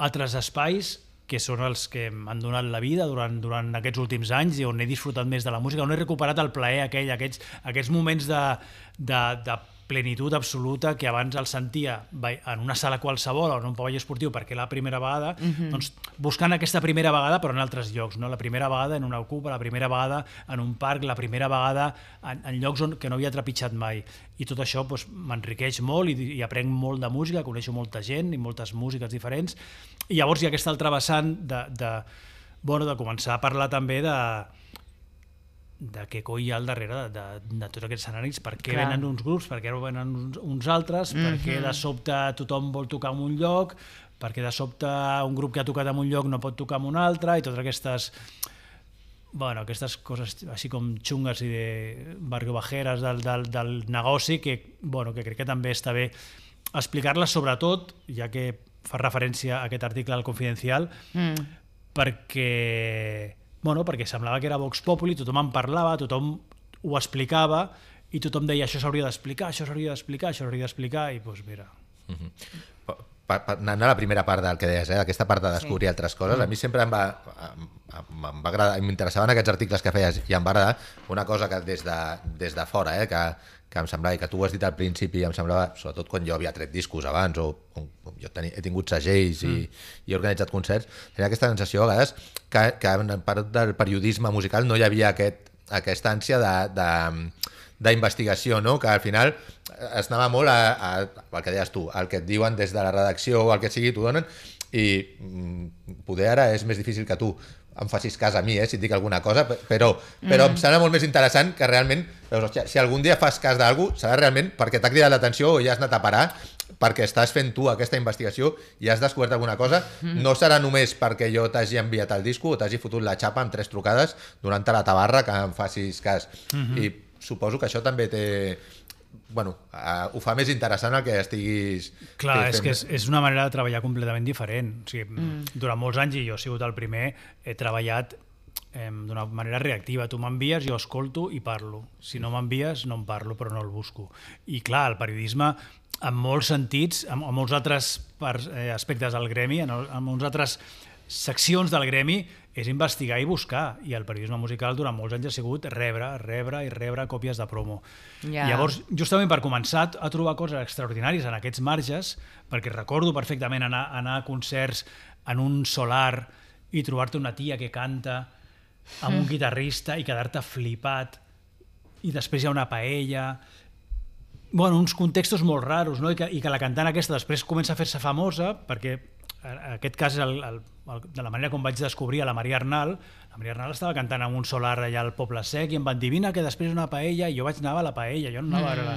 altres espais que són els que m'han donat la vida durant aquests últims anys i on he disfrutat més de la música, on he recuperat el plaer aquell, aquests moments de plenitud absoluta que abans el sentia en una sala qualsevol o en un pavelló esportiu perquè la primera vegada, doncs buscant aquesta primera vegada però en altres llocs, no? La primera vegada en una ocupa, la primera vegada en un parc, la primera vegada en llocs que no havia trepitjat mai. I tot això doncs, m'enriqueix molt i aprenc molt de música, coneixo molta gent i moltes músiques diferents. I llavors hi ha aquesta altra vessant de començar a parlar també de què coi hi ha al darrere de tots aquests escenaris, per què venen uns grups, per què venen uns altres, per què de sobte tothom vol tocar en un lloc, per què de sobte un grup que ha tocat en un lloc no pot tocar en un altre, i totes aquestes coses així com xungues i de barriobajeres del negoci que crec que també està bé explicar-les, sobretot, ja que fa referència a aquest article del Confidencial, perquè semblava que era Vox Populi, tothom en parlava, tothom ho explicava i tothom deia això s'hauria d'explicar, això s'hauria d'explicar, això s'hauria d'explicar i doncs mira.
Anant a la primera part del que deies, aquesta part de descobrir altres coses, a mi sempre em va agradar, m'interessaven aquests articles que feies i em va agradar una cosa que des de fora, que em semblava, i que tu ho has dit al principi, em semblava, sobretot quan jo havia tret discos abans o jo he tingut segells i he organitzat concerts, tenia aquesta sensació a vegades que en part del periodisme musical no hi havia aquesta ànsia d'investigació, no? Que al final es anava molt al que deies tu, al que et diuen des de la redacció o el que sigui, t'ho donen, i poder ara és més difícil que tu em facis cas a mi, si et dic alguna cosa, però em sembla molt més interessant que realment, si algun dia fas cas d'algú, serà realment perquè t'ha cridat l'atenció o ja has anat a parar, perquè estàs fent tu aquesta investigació i has descobert alguna cosa, no serà només perquè jo t'hagi enviat el disco o t'hagi fotut la xapa amb 3 trucades donant-te la tabarra que em facis cas. I suposo que això també té... ho fa més interessant el que estiguis...
Clar, és que és una manera de treballar completament diferent. O sigui, durant molts anys, i jo he sigut el primer, he treballat d'una manera reactiva. Tu m'envies, jo escolto i parlo. Si no m'envies, no em parlo, però no el busco. I clar, el periodisme, en molts sentits, en molts altres aspectes del gremi, en molts altres seccions del gremi, és investigar i buscar, i el periodisme musical durant molts anys ha sigut rebre còpies de promo. Llavors, justament per començar a trobar coses extraordinàries en aquests marges, perquè recordo perfectament anar a concerts en un solar i trobar-te una tia que canta amb un guitarrista i quedar-te flipat, i després hi ha una paella... uns contextos molt raros, no? I que la cantant aquesta després comença a fer-se famosa, perquè en aquest cas de la manera com vaig descobrir a la Maria Arnal. La Maria Arnal estava cantant en un solar allà al Poble Sec i em van dir, vine que després una paella, i jo vaig anar a la paella, jo no anava a veure-la.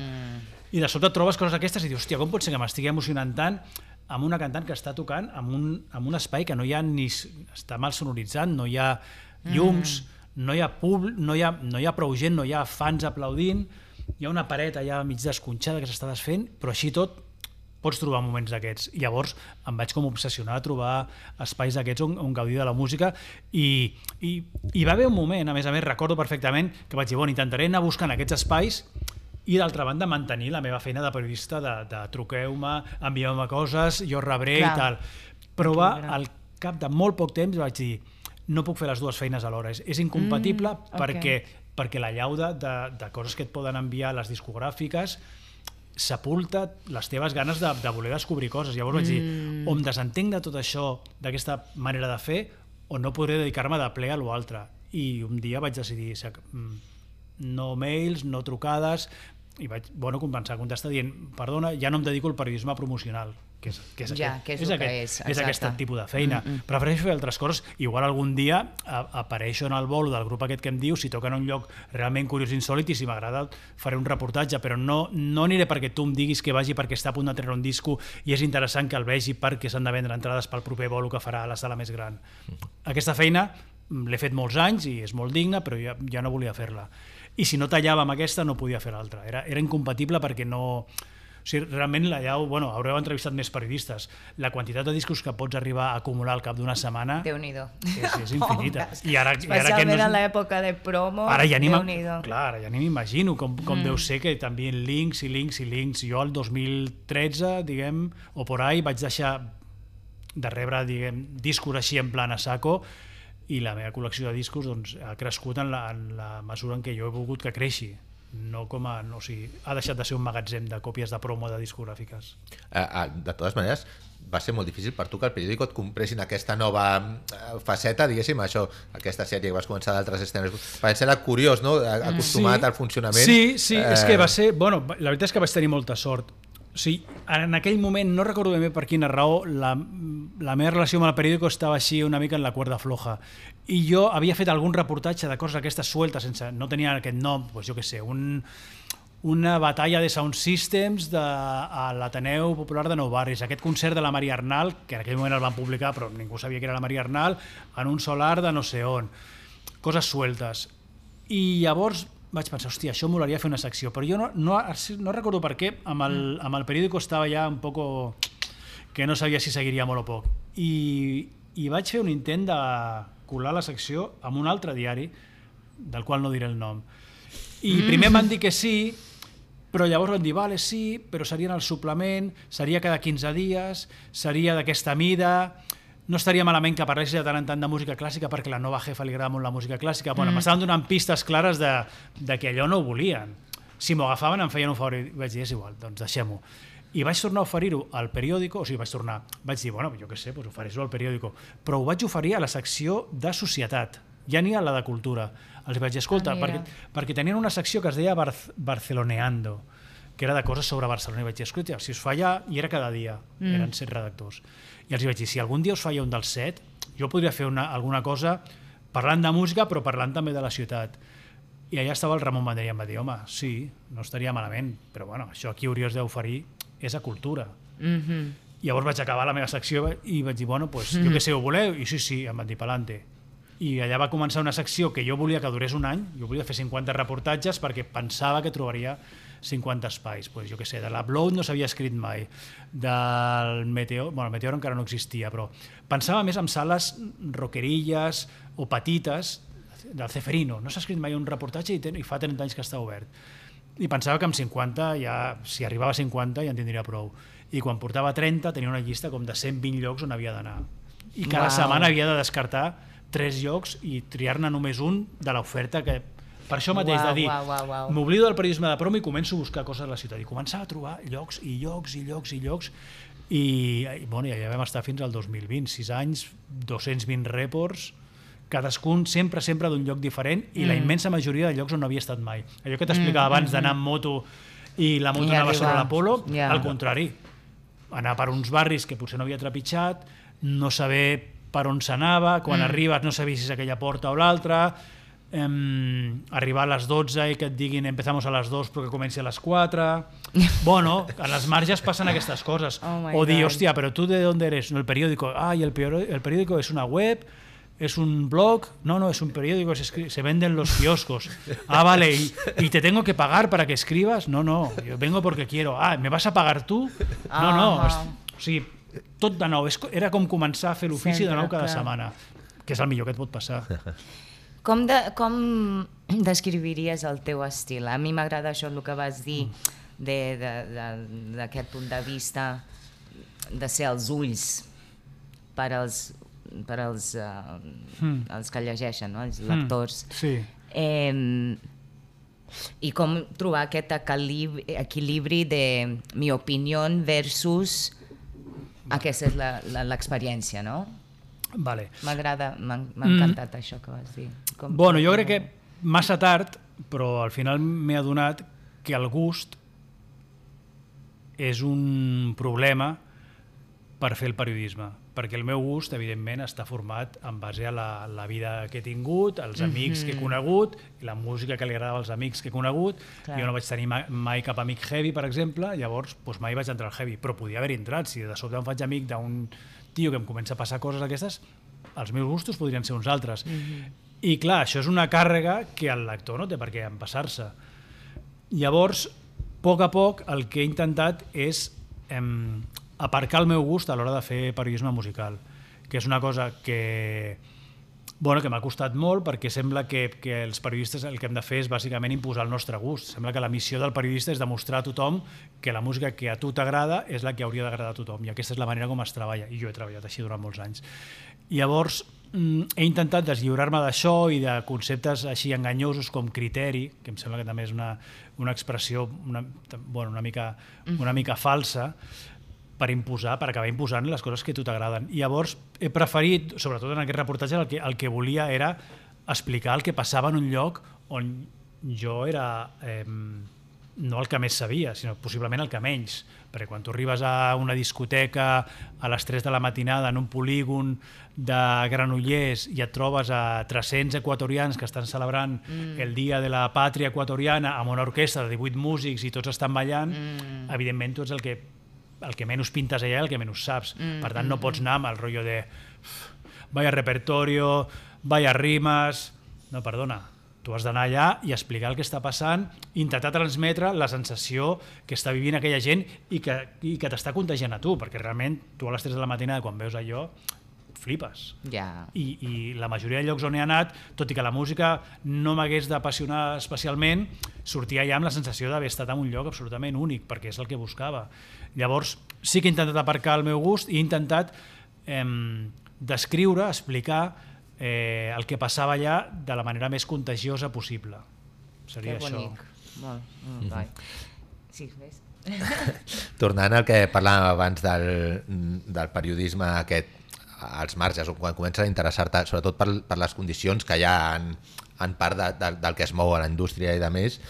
I de sobte trobes coses aquestes i dius, hòstia, com pot ser que m'estigui emocionant tant amb una cantant que està tocant en un espai que no hi ha ni... està mal sonoritzat, no hi ha llums, no hi ha no hi ha prou gent, no hi ha fans aplaudint, hi ha una paret allà mig desconxada que s'està desfent, però així tot pots trobar moments d'aquests. I llavors em vaig com obsessionar a trobar espais d'aquests on gaudir de la música i va haver un moment, a més, recordo perfectament que vaig dir, intentaré anar buscant aquests espais i d'altra banda mantenir la meva feina de periodista de truqueu-me, envieu-me coses, jo rebré i tal. Però al cap de molt poc temps vaig dir, no puc fer les dues feines alhora, és incompatible perquè la llauda de coses que et poden enviar les discogràfiques sepulta les teves ganes de voler descobrir coses. Llavors vaig dir, o em desentenc de tot això, d'aquesta manera de fer, o no podré dedicar-me de ple a l'altre. I un dia vaig decidir no mails, no trucades, i vaig començar a contestar dient, perdona, ja no em dedico al periodisme promocional, que és aquest tipus de feina. Prefereixo fer altres coses. Igual algun dia apareixo en el bolo del grup aquest que em diu, si toca en un lloc realment curiós i insòlit, i si m'agrada faré un reportatge, però no aniré perquè tu em diguis que vagi perquè està a punt de treure un disco i és interessant que el vegi perquè s'han de vendre entrades pel proper bolo que farà a la sala més gran. Aquesta feina l'he fet molts anys i és molt digna, però ja no volia fer-la. I si no tallava amb aquesta no podia fer l'altra. Era incompatible perquè no... O sigui, realment haureu entrevistat més periodistes. La quantitat de discos que pots arribar a acumular al cap d'una setmana...
Déu-n'hi-do.
És infinita.
Especialment en l'època de promo, Déu-n'hi-do.
Clar, ara ja ni m'imagino com deu ser que també links i links i links. Jo el 2013, diguem, o por ahí, vaig deixar de rebre, diguem, discos així en plan a saco, i la meva col·lecció de discos ha crescut en la mesura en què jo he volgut que creixi. no com a... No, o sigui, ha deixat de ser un magatzem de còpies de promo de discogràfiques.
De totes maneres, va ser molt difícil per tu que el periòdico et compressin aquesta nova faceta, diguéssim, això, aquesta sèrie que vas començar d'altres escenes. Va ser curiós, no? Acostumat al funcionament.
Sí, és que va ser... Bueno, la veritat és que vaig tenir molta sort. O sigui, en aquell moment, no recordo ben bé per quina raó, la meva relació amb el periòdico estava així una mica en la cuerda floja. I jo havia fet algun reportatge de coses aquestes sueltes, no tenia aquest nom, doncs jo què sé, una batalla de sound systems a l'Ateneu Popular de Nou Barris, aquest concert de la Maria Arnal, que en aquell moment el van publicar però ningú sabia que era la Maria Arnal, en un solar de no sé on, coses sueltes. I llavors vaig pensar, hòstia, això molaria fer una secció, però jo no recordo per què, amb el periòdico estava ja un poco que no sabia si seguiria molt o poc. I vaig fer un intent de colar la secció amb un altre diari, del qual no diré el nom. I primer em van dir que sí, però llavors van dir, vale, sí, però seria en el suplement, seria cada 15 dies, seria d'aquesta mida... No estaria malament que parlessis de tant en tant de música clàssica perquè la nova jefa li agrada molt la música clàssica. Bueno, m'estaven donant pistes clares de que allò no ho volien. Si m'ho agafaven em feien un favor i vaig dir, és igual, doncs deixem-ho. I vaig tornar a oferir-ho al periòdico, o sigui, vaig dir, bueno, jo què sé, doncs ofereix-ho al periòdico, però ho vaig oferir a la secció de societat, ja ni a la de cultura. Els vaig dir, escolta, perquè tenien una secció que es deia Barceloneando, que era de coses sobre Barcelona, i vaig dir, escolta, si us fa allà, i era cada dia, eren 7 redactors. I els vaig dir, si algun dia us falla un dels 7, jo podria fer alguna cosa parlant de música, però parlant també de la ciutat. I allà estava el Ramon Vendrell i em va dir, home, sí, no estaria malament, però bueno, això aquí hauries d'oferir és a cultura. I llavors vaig acabar la meva secció i vaig dir, bueno, doncs jo què sé, ho voleu? I sí, em van dir, pa'lante. I allà va començar una secció que jo volia que durés un any, jo volia fer 50 reportatges perquè pensava que trobaria 50 espais. Pues, jo què sé, de l'Upload no s'havia escrit mai, del Meteor, bueno, el Meteor encara no existia, però pensava més en sales rockerilles o petites, del Ceferino, no s'ha escrit mai un reportatge i fa 30 anys que està obert. I pensava que amb 50, ja, si arribava a 50 ja en tindria prou. I quan portava 30 tenia una llista com de 120 llocs on havia d'anar. I cada setmana havia de descartar 3 llocs i triar-ne només un de l'oferta que... Per això mateix, de dir, m'oblido del periodisme de promo i començo a buscar coses a la ciutat. I començava a trobar llocs i llocs i llocs i llocs i bueno, ja vam estar fins al 2020, 6 anys, 220 reports, cadascun sempre d'un lloc diferent i la immensa majoria de llocs on no havia estat mai. Allò que t'explicava abans d'anar amb moto i la moto anava sobre l'Apolo, al contrari, anar per uns barris que potser no havia trepitjat, no saber per on s'anava, quan arribes no sabies si és aquella porta o l'altra, arribar a les 12 i que et diguin empezamos a les 2 però que comenci a les 4. Bueno, a les marges passen aquestes coses. O dir, hòstia, però tu de on eres? No, el periódico. Ah, y el periódico es una web, es un blog. No, es un periódico, se venden los kioscos. Ah, vale, y te tengo que pagar para que escribas? No, yo vengo porque quiero. Ah, ¿me vas a pagar tú? No. O sigui, tot de nou. Era com començar a fer l'ofici de nou cada setmana, que és el millor que et pot passar.
Com descriviries el teu estil? A mi m'agrada això el que vas dir d'aquest punt de vista de ser els ulls per als que llegeixen, no? Els lectors.
Sí.
I com trobar aquest equilibri de mi opinió versus aquesta és l'experiència, no?
Vale.
M'ha encantat això que vas dir.
Bueno, jo crec que massa tard, però al final m'he adonat que el gust és un problema per fer el periodisme, perquè el meu gust, evidentment, està format en base a la vida que he tingut, els amics que he conegut, i la música que li agradava als amics que he conegut. Clar. Jo no vaig tenir mai cap amic heavy, per exemple, llavors mai vaig entrar al heavy, però podia haver entrat. Si de sobte em faig amic d'un tio que em comença a passar coses aquestes, els meus gustos podrien ser uns altres. I clar, això és una càrrega que el lector no té per què empassar-se. Llavors, a poc, el que he intentat és aparcar el meu gust a l'hora de fer periodisme musical, que és una cosa que m'ha costat molt, perquè sembla que els periodistes el que hem de fer és bàsicament imposar el nostre gust. Sembla que la missió del periodista és demostrar a tothom que la música que a tu t'agrada és la que hauria d'agradar a tothom, i aquesta és la manera com es treballa, i jo he treballat així durant molts anys. Llavors, he intentat deslliurar-me d'això i de conceptes així enganyosos com criteri, que em sembla que també és una expressió una mica falsa, per acabar imposant les coses que a tu t'agraden. I llavors he preferit, sobretot en aquest reportatge, el que volia era explicar el que passava en un lloc on jo era no el que més sabia, sinó possiblement el que menys. Perquè quan tu arribes a una discoteca a les 3 de la matinada en un polígon de Granollers i et trobes a 300 equatorians que estan celebrant el Dia de la Pàtria Equatoriana amb una orquestra de 18 músics i tots estan ballant, evidentment tu ets el que menys pintes allà i el que menys saps. Per tant, no pots anar amb el rotllo de vaya repertorio, vaya rimes... No, perdona. Tu has d'anar allà i explicar el que està passant, intentar transmetre la sensació que està vivint aquella gent i que t'està contagiant a tu, perquè realment tu a les 3 de la matinada quan veus allò flipes. I la majoria de llocs on he anat, tot i que la música no m'hagués d'apassionar especialment, sortia ja amb la sensació d'haver estat en un lloc absolutament únic, perquè és el que buscava. Llavors sí que he intentat aparcar el meu gust i he intentat descriure, explicar el que passava allà de la manera més contagiosa possible. Seria això. Que bonic.
Molt guai. Sí, ves?
Tornant al que parlàvem abans del periodisme aquest, als marges, quan comences a interessar-te, sobretot per les condicions que hi ha en part del que es mou a la indústria i de més,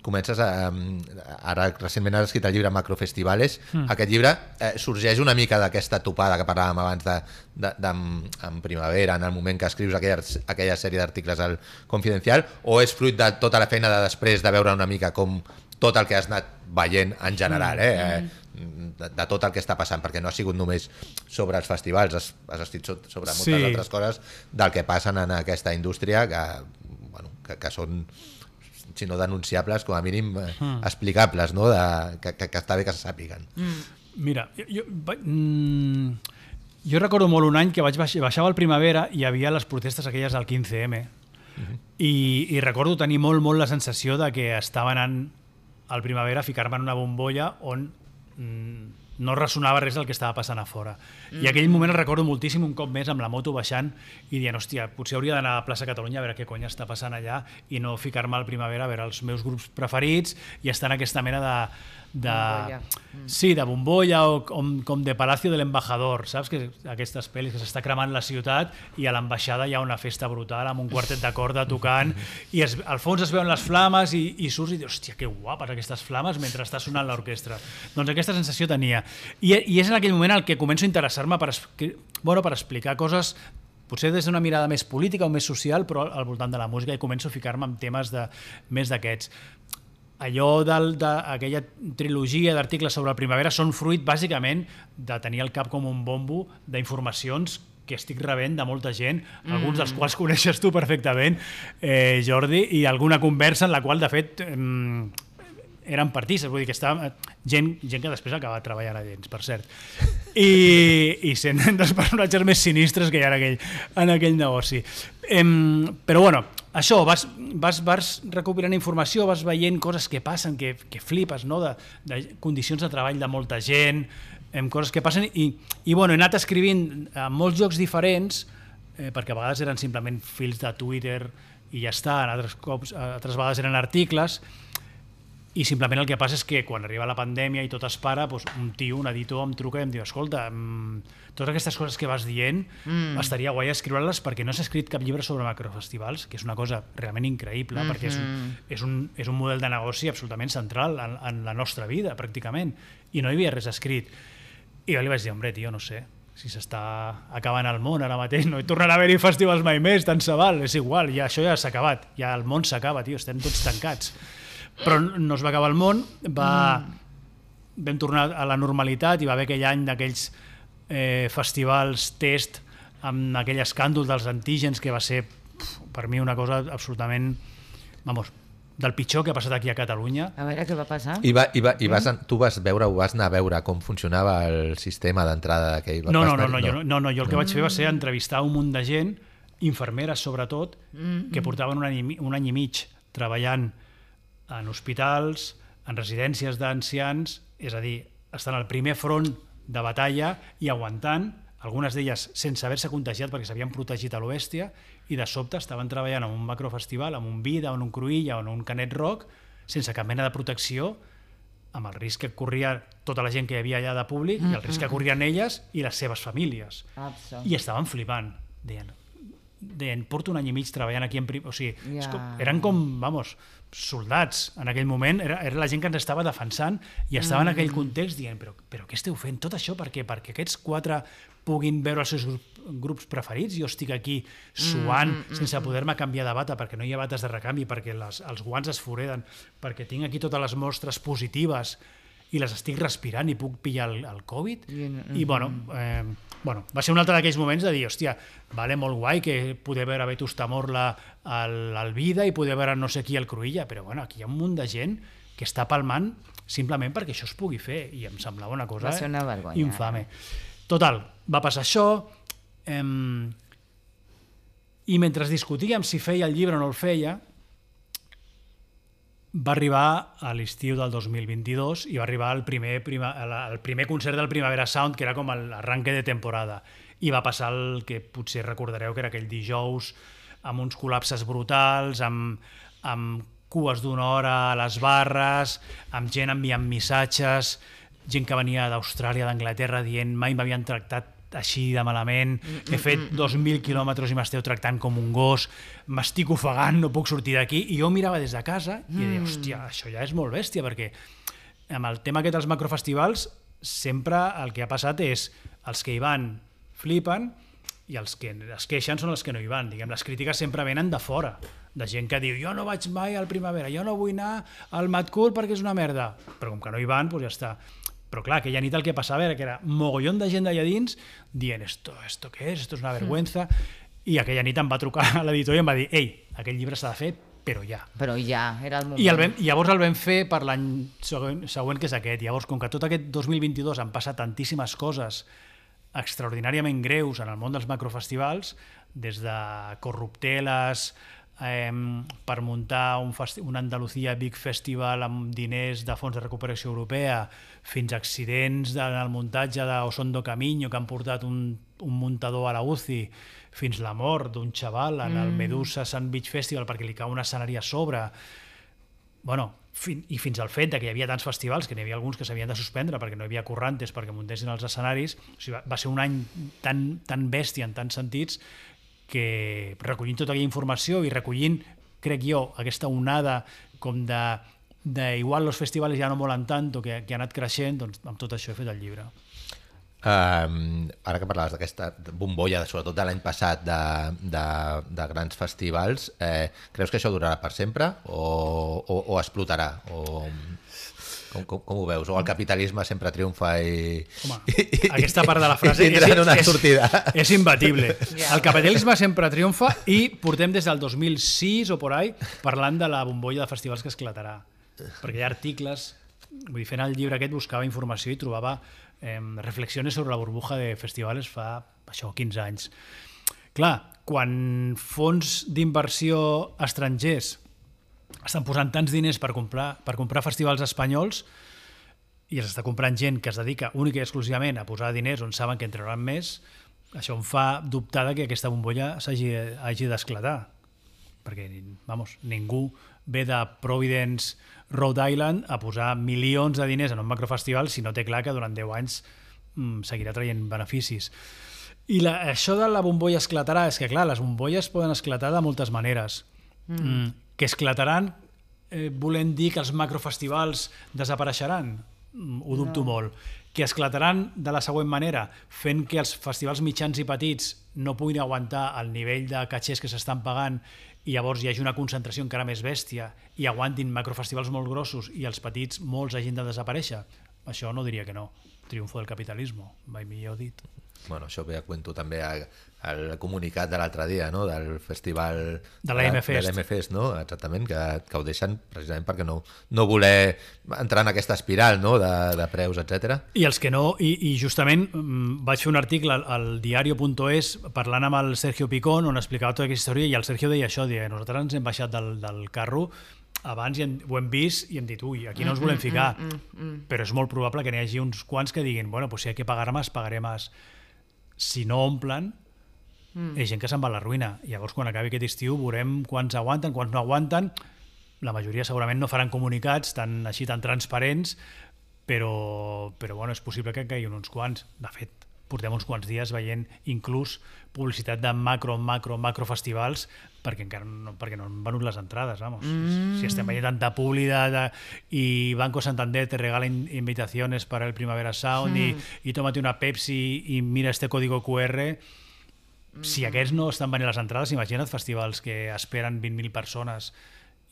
comences ara recentment has escrit el llibre Macrofestivales. Aquest llibre sorgeix una mica d'aquesta topada que parlàvem abans en primavera, en el moment que escrius aquella sèrie d'articles al Confidencial, o és fruit de tota la feina de després de veure una mica com tot el que has anat veient en general, de tot el que està passant, perquè no ha sigut només sobre els festivals, has escrit sobre moltes altres coses del que passen en aquesta indústria que són, si no denunciables, com a mínim explicables, no? Que està bé que se sàpiguen.
Mira, jo recordo molt un any que baixava al Primavera i hi havia les protestes aquelles del 15M i recordo tenir molt la sensació de que estava anant al Primavera a ficar-me en una bombolla on no ressonava res del que estava passant a fora. I aquell moment el recordo moltíssim, un cop més amb la moto baixant i dient, hòstia, potser hauria d'anar a la plaça Catalunya a veure què cony està passant allà i no ficar-me al Primavera a veure els meus grups preferits i estar en aquesta mena de bombolla o com de Palacio del Embajador, saps? Que aquestes pel·lis que s'està cremant la ciutat i a l'ambaixada hi ha una festa brutal amb un quartet de corda tocant i al fons es veuen les flames i surts i dius, hòstia, que guapes aquestes flames mentre està sonant l'orquestra. Doncs aquesta sensació tenia. I és en aquell moment el que començo a interessar-me per explicar coses potser des d'una mirada més política o més social, però al voltant de la música, i començo a ficar-me en temes més d'aquests. Allò d'aquella trilogia d'articles sobre la primavera són fruit bàsicament de tenir al cap com un bombo d'informacions que estic rebent de molta gent, alguns dels quals coneixes tu perfectament, Jordi, i alguna conversa en la qual, de fet, eren partistes, vull dir que estava gent que després acaba treballant a Dents, per cert, i sent dels personatges més sinistres que hi ha en aquell negoci. Però bueno, això, vas recopilant informació, vas veient coses que passen, que flipes, no? De condicions de treball de molta gent, coses que passen, i bueno, he anat escrivint a molts llocs diferents, perquè a vegades eren simplement fils de Twitter i ja està, altres vegades eren articles, i simplement el que passa és que quan arriba la pandèmia i tot es para, un tio, un editor em truca i em diu, escolta, totes aquestes coses que vas dient estaria guai escriure-les perquè no s'ha escrit cap llibre sobre macrofestivals, que és una cosa realment increïble, perquè és un model de negoci absolutament central en la nostra vida, pràcticament, i no hi havia res escrit. I jo li vaig dir, hombre, tio, no sé, si s'està acabant el món ara mateix, no hi tornarà a haver-hi festivals mai més, tant se val, és igual, ja això ja s'ha acabat, ja el món s'acaba, tio, estem tots tancats. Però no es va acabar el món, vam tornar a la normalitat i va haver aquell any d'aquells festivals test amb aquell escàndol dels antígens que va ser per mi una cosa absolutament, del pitjor que ha passat aquí a Catalunya.
A veure què va passar.
Tu vas anar a veure com funcionava el sistema d'entrada d'aquell...
No, jo el que vaig fer va ser entrevistar un munt de gent, infermeres sobretot, que portaven un any i mig treballant en hospitals, en residències d'ancians, és a dir, estan al primer front de batalla i aguantant algunes d'elles sense haver-se contagiat perquè s'havien protegit a lo bèstia, i de sobte estaven treballant en un macrofestival, en un Vida, en un Cruïlla o en un Canet Rock, sense cap mena de protecció, amb el risc que corria tota la gent que hi havia allà de públic i el risc que corrien elles i les seves famílies. I estaven flipant, deien, porto un any i mig treballant aquí o sigui, eren com, soldats en aquell moment, era la gent que ens estava defensant i estava en aquell context dient, però què esteu fent? Tot això per què? Perquè aquests 4 puguin veure els seus grups preferits, jo estic aquí suant sense poder-me canviar de bata perquè no hi ha bates de recanvi, perquè els guants es foreden, perquè tinc aquí totes les mostres positives i les estic respirant i puc pillar el Covid. I va ser un altre d'aquells moments de dir, hòstia, vale, molt guai que poder veure Vetusta Morla al Vida i poder veure no sé qui al Cruïlla, però aquí hi ha un munt de gent que està palmant simplement perquè això es pugui fer, i em semblava una cosa infame. Total, va passar això, i mentre discutíem si feia el llibre o no el feia, va arribar a l'estiu del 2022 i va arribar el primer concert del Primavera Sound, que era com l'arranque de temporada, i va passar el que potser recordareu que era aquell dijous amb uns col·lapses brutals, amb cues d'una hora a les barres, amb gent enviant missatges, gent que venia d'Austràlia, d'Anglaterra, dient mai m'havien tractat així de malament, he fet 2.000 quilòmetres i m'esteu tractant com un gos, m'estic ofegant, no puc sortir d'aquí, i jo mirava des de casa i deia, hòstia, això ja és molt bèstia, perquè amb el tema aquest dels macrofestivals sempre el que ha passat és els que hi van flipen i els que es queixen són els que no hi van. Diguem, les crítiques sempre venen de fora, de gent que diu, jo no vaig mai al Primavera, jo no vull anar al Mad Cool perquè és una merda, però com que no hi van, doncs ja està. Però clar, aquella nit el que passava era que era mogollon de gent d'allà dins dient, ¿esto qué es? Esto es una vergüenza. I aquella nit em va trucar a l'editor i em va dir, ei, aquest llibre s'ha de fer, però ja.
Però ja, era el moment.
I llavors el vam fer per l'any següent, que és aquest. Llavors, com que tot aquest 2022 han passat tantíssimes coses extraordinàriament greus en el món dels macrofestivals, des de corrupteles, per muntar un Andalucía Big Festival amb diners de fons de recuperació europea, fins a accidents en el muntatge d'Osondo Camino que han portat un muntador a la UCI, fins la mort d'un xaval en el Medusa Sun Beach Festival perquè li cau un escenari a sobre. I fins al fet que hi havia tants festivals que n'hi havia alguns que s'havien de suspendre perquè no hi havia currantes perquè muntessin els escenaris. O sigui, va ser un any tan bèstia en tants sentits que recollint tota aquella informació i recollint, crec jo, aquesta onada com de igual els festivals ja no molen tant o que ha anat creixent, doncs amb tot això he fet el llibre.
Ara que parlaves d'aquesta bombolla, sobretot de l'any passat, de grans festivals, creus que això durarà per sempre o explotarà? Com ho veus? O el capitalisme sempre triomfa i...
Home, aquesta part de la frase és imbatible. El capitalisme sempre triomfa i portem des del 2006 o por ahí parlant de la bombolla de festivals que esclatarà. Perquè hi ha articles... Vull dir, fent el llibre aquest buscava informació i trobava reflexiones sobre la burbuja de festivals fa 15 anys. Clar, quan fons d'inversió estrangers estan posant tants diners per comprar festivals espanyols i els està comprant gent que es dedica única i exclusivament a posar diners on saben que en trauran més, això em fa dubtar que aquesta bombolla hagi d'esclatar. Perquè, ningú ve de Providence, Rhode Island, a posar milions de diners en un macrofestival si no té clar que durant 10 anys seguirà traient beneficis. I això de la bombolla esclatarà, és que clar, les bombolles poden esclatar de moltes maneres. Que esclataran volent dir que els macrofestivals desapareixeran? Ho dubto molt. Que esclataran de la següent manera, fent que els festivals mitjans i petits no puguin aguantar el nivell de catxers que s'estan pagant i llavors hi hagi una concentració encara més bèstia i aguantin macrofestivals molt grossos i els petits molts hagin de desaparèixer? Això no diria que no. Triunfo del capitalismo, mai millor dit.
Bueno, això ve a cuento també al comunicat de l'altre dia, no? Del festival
de l'M-Fest,
no? Exactament, que ho deixen precisament perquè no voler entrar en aquesta espiral, no? de preus, etc.
I els que no, i justament vaig fer un article al diario.es parlant amb el Sergio Picón on explicava tota aquesta història i el Sergio deia això, nosaltres ens hem baixat del carro abans i ho hem vist i hem dit, ui, aquí no ens volem ficar, però és molt probable que n'hi hagi uns quants que diguin, bueno, pues si hay que pagar más, pagaré más. si no omplen, és gent que se'n va a la ruïna. Llavors, quan acabi aquest estiu, veurem quants aguanten, quants no aguanten. La majoria segurament no faran comunicats tan transparents, però bueno, és possible que caiguin uns quants. De fet, portem uns quants dies veient inclús publicitat de macro festivals perquè no han venut les entrades, vamos. Si estem veient tanta publi i Banco Santander te regala invitaciones para el Primavera Sound i tómate una Pepsi i mira este código QR. Si aquests no estan venint les entrades, imagina't festivals que esperen 20.000 persones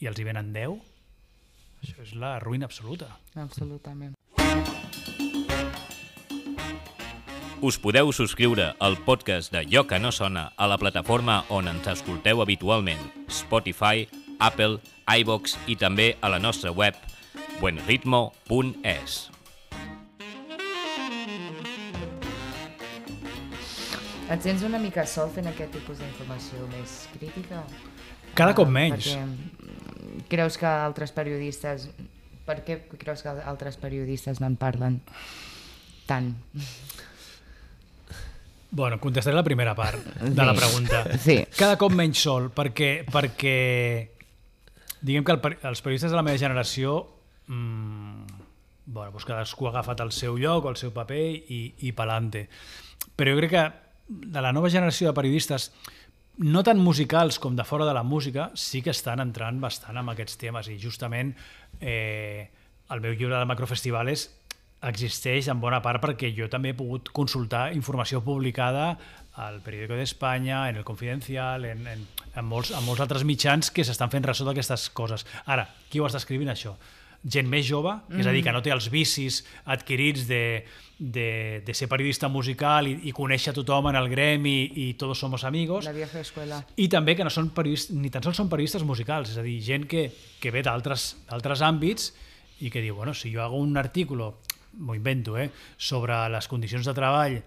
i els hi venen 10. Això és la ruïna absoluta.
Absolutament.
Us podeu subscriure al podcast de Allò que no sona a la plataforma on ens escolteu habitualment, Spotify, Apple, iVoox i també a la nostra web buenritmo.es.
Et sents una mica sol fent aquest tipus d'informació més crítica?
Cada cop menys.
Perquè creus que altres periodistes... Per què creus que altres periodistes no en parlen tant?
Bueno, contestaré la primera part de la pregunta.
Sí.
Cada cop menys sol, perquè diguem que els periodistes de la meva generació bueno, doncs cadascú ha agafat el seu lloc o el seu paper i pelante. Però jo crec que de la nova generació de periodistes, no tan musicals com de fora de la música, sí que estan entrant bastant en aquests temes i justament el meu llibre de Macrofestivales existeix en bona part perquè jo també he pogut consultar informació publicada al Periódico de España, en el Confidencial, en molts altres mitjans que s'estan fent ressò d'aquestes coses. Ara, qui ho està escrivint això? Gent més jove, és a dir, que no té els vicis adquirits de ser periodista musical i conèixer tothom en el gremi i tots somos amigos. La vieja escuela. I també que no són ni tan sols són periodistes musicals, és a dir, gent que ve d'altres àmbits i que diu, bueno, si jo hago un artículo, m'ho invento, sobre les condicions de treball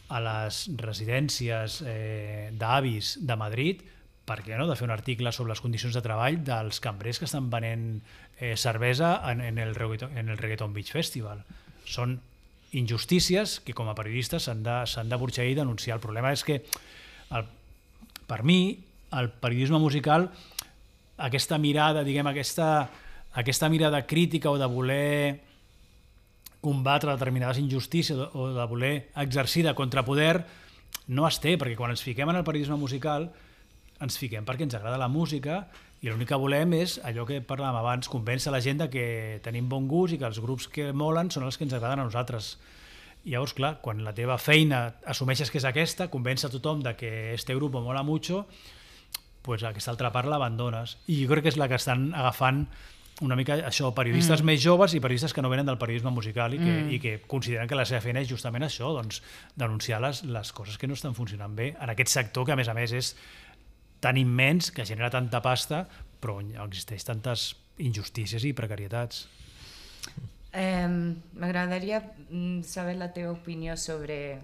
a les residències d'avis de Madrid, per què no de fer un article sobre les condicions de treball dels cambrers que estan venent cervesa en el Reggaeton Beach Festival? Són injustícies que com a periodistes s'han de burxar i denunciar. El problema és que per mi el periodisme musical, aquesta mirada, diguem, aquesta mirada crítica o de voler combatre determinades injustícies o de voler exercir de contrapoder no es té, perquè quan ens fiquem en el periodisme musical ens fiquem perquè ens agrada la música i l'únic que volem és allò que parlàvem abans, convèncer la gent que tenim bon gust i que els grups que molen són els que ens agraden a nosaltres. I llavors, clar, quan la teva feina assumeixes que és aquesta, convèncer a tothom que este grup mola mucho, pues aquesta altra part l'abandones. I jo crec que és la que estan agafant una mica això, periodistes més joves i periodistes que no venen del periodisme musical i que consideren que la seva feina és justament això, doncs denunciar les coses que no estan funcionant bé en aquest sector que a més és tan immens, que genera tanta pasta, però existeix tantes injustícies i precarietats.
M'agradaria saber la teva opinió sobre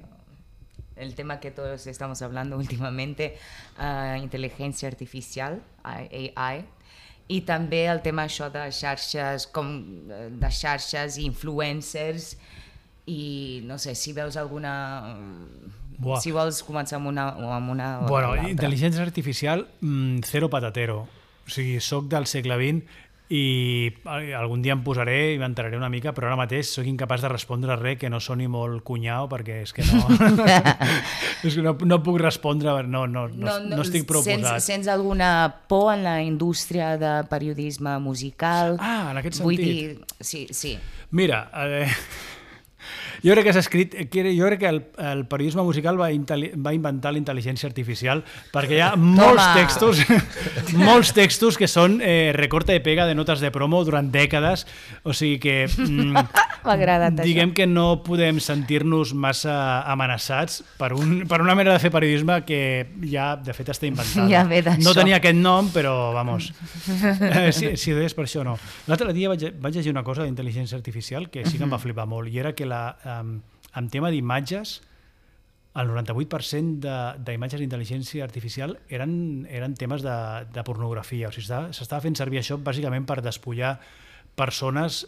el tema que todos estamos hablando últimamente, inteligencia artificial, AI, i també el tema això de xarxes i influencers, i no sé, si veus alguna... Si vols començar amb una o amb l'altra.
Intel·ligència artificial, cero patatero. O sigui, soc del segle XX i algun dia em posaré i m'enteraré una mica, però ara mateix soc incapaç de respondre res que no soni molt cunyau, perquè és que no... és que no puc respondre, no estic prou posat.
Sents alguna por en la indústria de periodisme musical?
En aquest sentit.
Vull dir, sí.
Mira, jo crec que el periodisme musical va inventar la intel·ligència artificial perquè hi ha molts textos que són recorta i pega de notes de promo durant dècades, o sigui que diguem que no podem sentir-nos massa amenaçats per una manera de fer periodisme que ja de fet està inventada. No tenia aquest nom, però vamos, si ho deies per això no. L'altre dia vaig llegir una cosa d'intel·ligència artificial que sí que em va flipar molt, i era que en tema d'imatges, el 98% d'imatges d'intel·ligència artificial eren temes de pornografia. O sigui, s'estava fent servir això bàsicament per despullar persones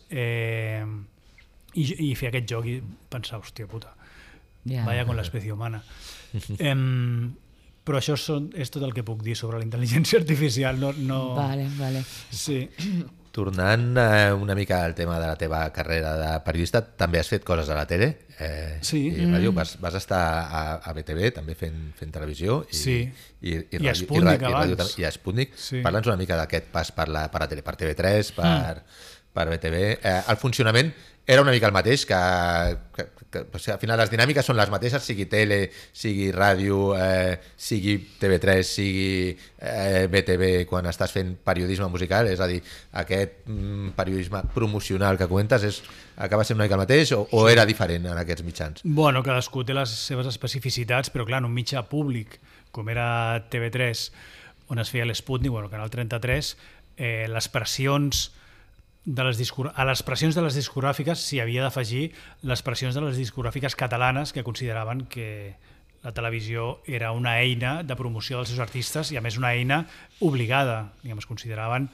i fer aquest joc i pensar, hòstia puta, Vaya con l'espècie humana. Però això és tot el que puc dir sobre la intel·ligència artificial.
Vale.
Sí.
Tornant una mica al tema de la teva carrera de periodista, també has fet coses a la tele,
Sí.
i ràdio, vas estar a BTV també fent televisió, i
a Sputnik abans.
I a Sputnik.
Sí.
Parla'ns una mica d'aquest pas per la tele, per TV3, per BTV. El funcionament era una mica el mateix, que o sigui, al final les dinàmiques són les mateixes, sigui tele, sigui ràdio, sigui TV3, sigui BTV, quan estàs fent periodisme musical, és a dir, aquest periodisme promocional que comentes acaba sent una mica el mateix o era diferent en aquests mitjans?
Bueno, cadascú té les seves especificitats, però clar, en un mitjà públic, com era TV3, on es feia l'Sputnik, bueno, Canal 33, les pressions a les pressions de les discogràfiques s'hi havia d'afegir les pressions de les discogràfiques catalanes, que consideraven que la televisió era una eina de promoció dels seus artistes i a més una eina obligada, diguem, es consideraven,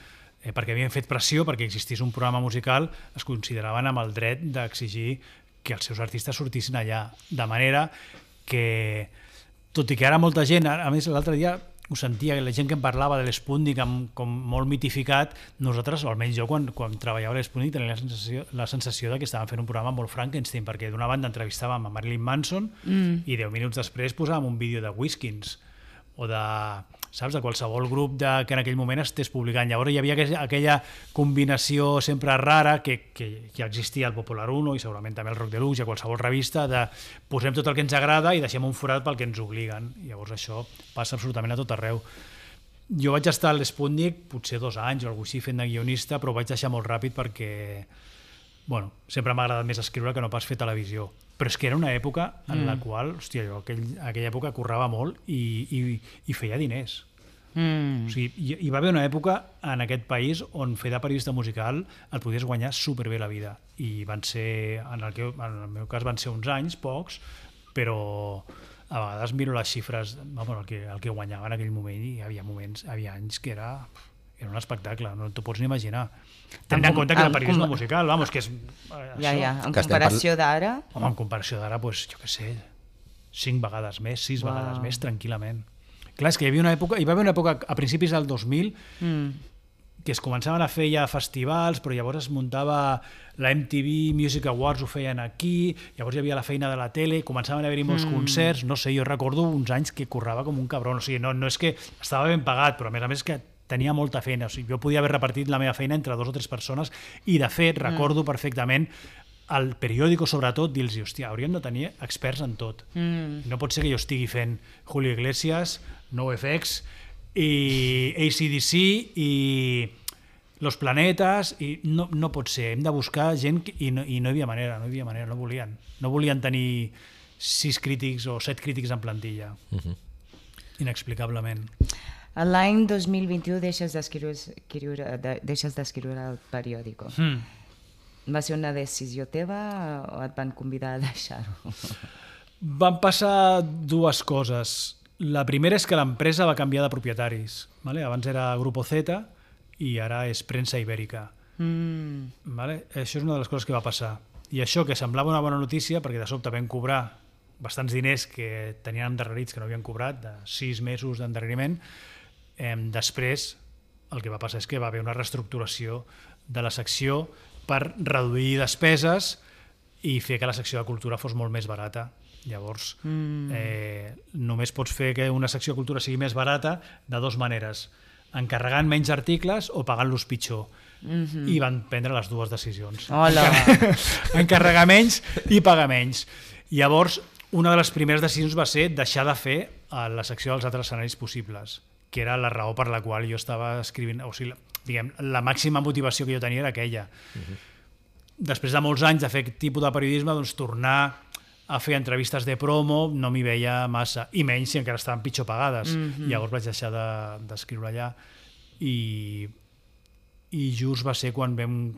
perquè havien fet pressió perquè existís un programa musical, es consideraven amb el dret d'exigir que els seus artistes sortissin allà, de manera que, tot i que ara molta gent, a més l'altre dia ho sentia, la gent que em parlava de l'Sputnik com molt mitificat, nosaltres, o almenys jo, quan treballava a l'Sputnik, tenia la sensació que estàvem fent un programa molt Frankenstein, perquè d'una banda entrevistàvem a Marilyn Manson i 10 minuts després posàvem un vídeo de Whiskins o de qualsevol grup que en aquell moment estés publicant. Llavors hi havia aquella combinació sempre rara que ja existia al Popular 1 i segurament també al Rock Deluxe i a qualsevol revista, de posem tot el que ens agrada i deixem un forat pel que ens obliguen. Llavors això passa absolutament a tot arreu. Jo vaig estar a l'Sputnik potser 2 anys o alguna cosa així fent de guionista, però ho vaig deixar molt ràpid perquè sempre m'ha agradat més escriure que no pas fer televisió. Però és que era una època en la qual, hòstia, jo aquella època currava molt i feia diners. O sigui, hi va haver una època en aquest país on fer de periodista musical et podies guanyar superbé la vida. I van ser, en el meu cas van ser uns anys, pocs, però a vegades miro les xifres, el que guanyava en aquell moment, i hi havia anys que era un espectacle, no t'ho pots ni imaginar. Tenint en compte que el periodisme musical, que és...
En comparació d'ara...
Home, en comparació d'ara, jo què sé, 5 vegades més, 6 vegades més, tranquil·lament. Clar, és que hi va haver una època a principis del 2000 que es començaven a fer ja festivals, però llavors es muntava la MTV Music Awards, ho feien aquí, llavors hi havia la feina de la tele, començaven a haver-hi molts concerts, no sé, jo recordo uns anys que currava com un cabron, o sigui, no és que estava ben pagat, però a més que tenia molta feina, o sigui, jo podia haver repartit la meva feina entre 2 o 3 persones i de fet recordo perfectament al periòdico sobretot dir-los, hòstia, hauríem de tenir experts en tot. No pot ser que jo estigui fent Julio Iglesias, NoFX i AC/DC i Los Planetas, i no pot ser, hem de buscar gent i no hi havia manera, no volien tenir 6 crítics o 7 crítics en plantilla, inexplicablement.
L'any 2021 deixes d'escriure al periòdico. Va ser una decisió teva o et van convidar a deixar-ho?
Van passar 2 coses. La primera és que l'empresa va canviar de propietaris. Abans era Grupo Z i ara és Premsa Ibèrica. Això és una de les coses que va passar. I això, que semblava una bona notícia, perquè de sobte vam cobrar bastants diners que tenien endarrerits que no havien cobrat, de 6 mesos d'endarreriment. Després el que va passar és que va haver una reestructuració de la secció per reduir despeses i fer que la secció de cultura fos molt més barata. Llavors, només pots fer que una secció de cultura sigui més barata de 2 maneres, encarregant menys articles o pagant-los pitjor. I van prendre les 2 decisions. Encarregar menys i pagar menys. Llavors, una de les primeres decisions va ser deixar de fer la secció dels altres escenaris possibles, que era la raó per la qual jo estava escrivint, o sigui, diguem, la màxima motivació que jo tenia era aquella. Després de molts anys de fer aquest tipus de periodisme, doncs tornar a fer entrevistes de promo no m'hi veia massa, i menys si encara estaven pitjor pagades. Llavors vaig deixar d'escriure allà i just va ser quan vam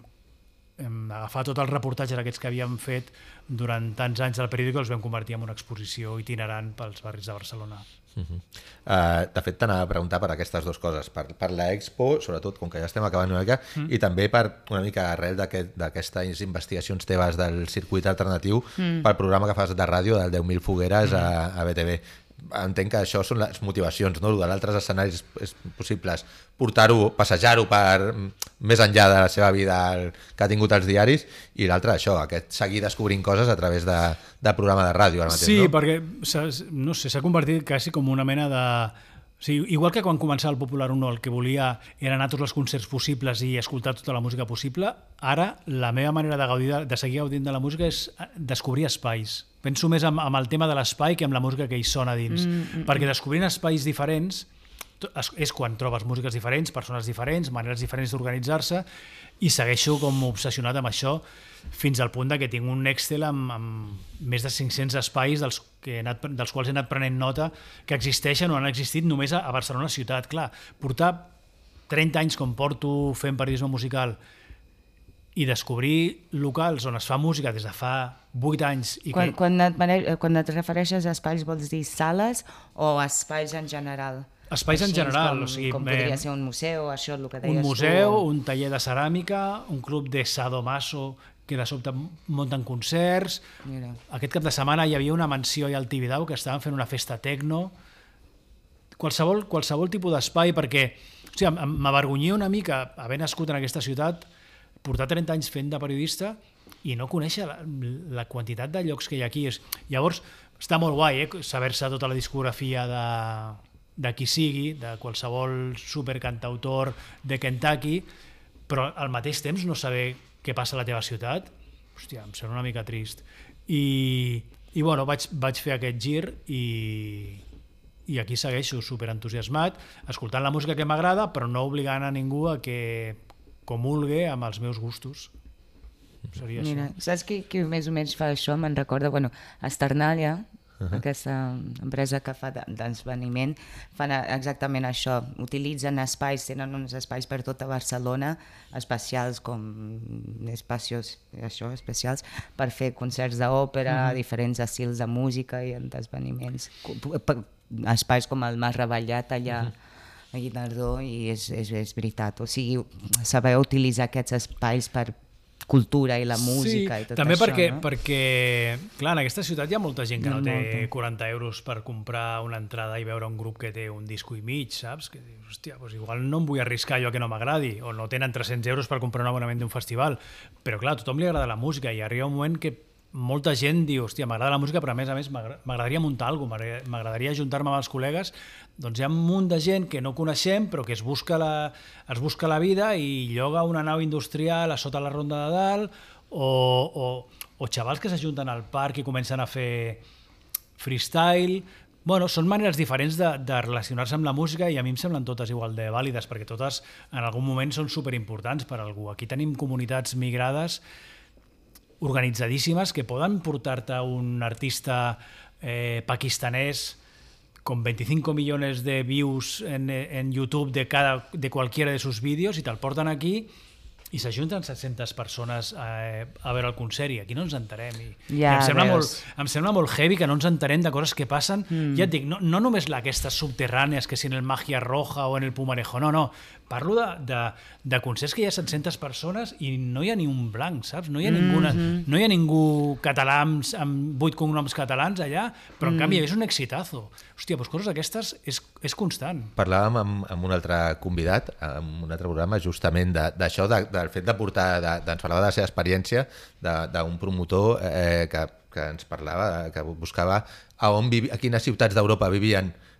agafar tots els reportatges aquests que havíem fet durant tants anys del periòdic, els vam convertir en una exposició itinerant pels barris de Barcelona.
De fet, t'anava a preguntar per aquestes dues coses, per l'Expo, sobretot com que ja estem acabant una mica, i també per una mica arrel d'aquestes investigacions teves del circuit alternatiu pel programa que fas de ràdio del 10.000 fogueres a BTV. Entenc que això són les motivacions, no? De l'altres escenaris possibles, portar-ho, passejar-ho per més enllà de la seva vida que ha tingut als diaris, i l'altre això, aquest seguir descobrint coses a través de programa de ràdio ara mateix,
sí,
no?
perquè no sé, s'ha convertit quasi com una mena de... O sigui, igual que quan començava el Popular 1 el que volia era anar a tots els concerts possibles i escoltar tota la música possible, ara la meva manera de gaudir, de seguir gaudint de la música és descobrir espais. Penso més amb el tema de l'espai que amb la música que hi sona dins. Perquè descobrint espais diferents és quan trobes músiques diferents, persones diferents, maneres diferents d'organitzar-se, i segueixo com obsessionat amb això fins al punt que tinc un Excel amb més de 500 espais dels quals he anat prenent nota que existeixen o han existit només a Barcelona ciutat. Clar, portar 30 anys com porto fent periodisme musical i descobrir locals on es fa música des de fa 8 anys...
Quan et refereixes a espais vols dir sales o espais en general?
Espais en general.
Com podria ser un museu, això el que deies tu.
Un museu, un taller de ceràmica, un club de sadomaso que de sobte munten concerts.
Mira.
Aquest cap de setmana hi havia una mansió allà al Tibidabo que estaven fent una festa tecno. Qualsevol tipus d'espai, perquè m'avergonyia una mica haver nascut en aquesta ciutat, portar 30 anys fent de periodista i no conèixer la quantitat de llocs que hi ha aquí. Llavors, està molt guai saber-se tota la discografia de qui sigui, de qualsevol supercantautor de Kentucky, però al mateix temps no saber què passa a la teva ciutat, hòstia, em sembla una mica trist. I bueno, vaig fer aquest gir i aquí segueixo superentusiasmat, escoltant la música que m'agrada, però no obligant a ningú a que comulgue amb els meus gustos. Seria
Mira,
això.
saps qui més o menys fa això? Me'n recorda, Esternàlia, aquesta empresa que fa d'esveniment, fan exactament això, utilitzen espais, tenen uns espais per tota Barcelona, especials especials per fer concerts d'òpera, diferents estils de música i d'esveniments, espais com el Mas Reballat allà a Guinardó, i és veritat, o sigui, saber utilitzar aquests espais per cultura i la música i tot
també
això,
perquè,
no?
perquè, clar, en aquesta ciutat hi ha molta gent que no té 40 euros per comprar una entrada i veure un grup que té un disco i mig, saps? Que dius, hòstia, doncs igual no em vull arriscar jo que no m'agradi, o no tenen 300 euros per comprar un abonament d'un festival, però clar, a tothom li agrada la música i arriba un moment que molta gent diu, hòstia, m'agrada la música, però a més m'agradaria muntar alguna cosa, m'agradaria ajuntar-me amb els col·legues. Doncs hi ha un munt de gent que no coneixem, però que es busca la vida i lloga una nau industrial a sota la Ronda de Dalt, o xavals que s'ajunten al parc i comencen a fer freestyle. Bueno, són maneres diferents de relacionar-se amb la música i a mi em semblen totes igual de vàlides, perquè totes en algun moment són superimportants per a algú. Aquí tenim comunitats migrades organitzadíssimes que poden portar-te un artista pakistanès con 25 millones de views en YouTube de cualquiera de sus vídeos i te'l porten aquí i s'ajunten 700 persones a veure el concert i aquí no ens enterem. I em sembla molt heavy que no ens enterem de coses que passen. Ja et dic, no només aquestes subterrànies, que si en el Magia Roja o en el Pumarejo, no. Parlo de concerts que hi ha 700 persones i no hi ha ni un blanc, saps? No hi ha ningú català amb 8 cognoms catalans allà, però en canvi és un exitazo. Hòstia, doncs coses d'aquestes és constant.
Parlàvem amb un altre convidat, en un altre programa, justament d'això, del fet de portar, ens parlava de la seva experiència d'un promotor que ens parlava, que buscava a quines ciutats d'Europa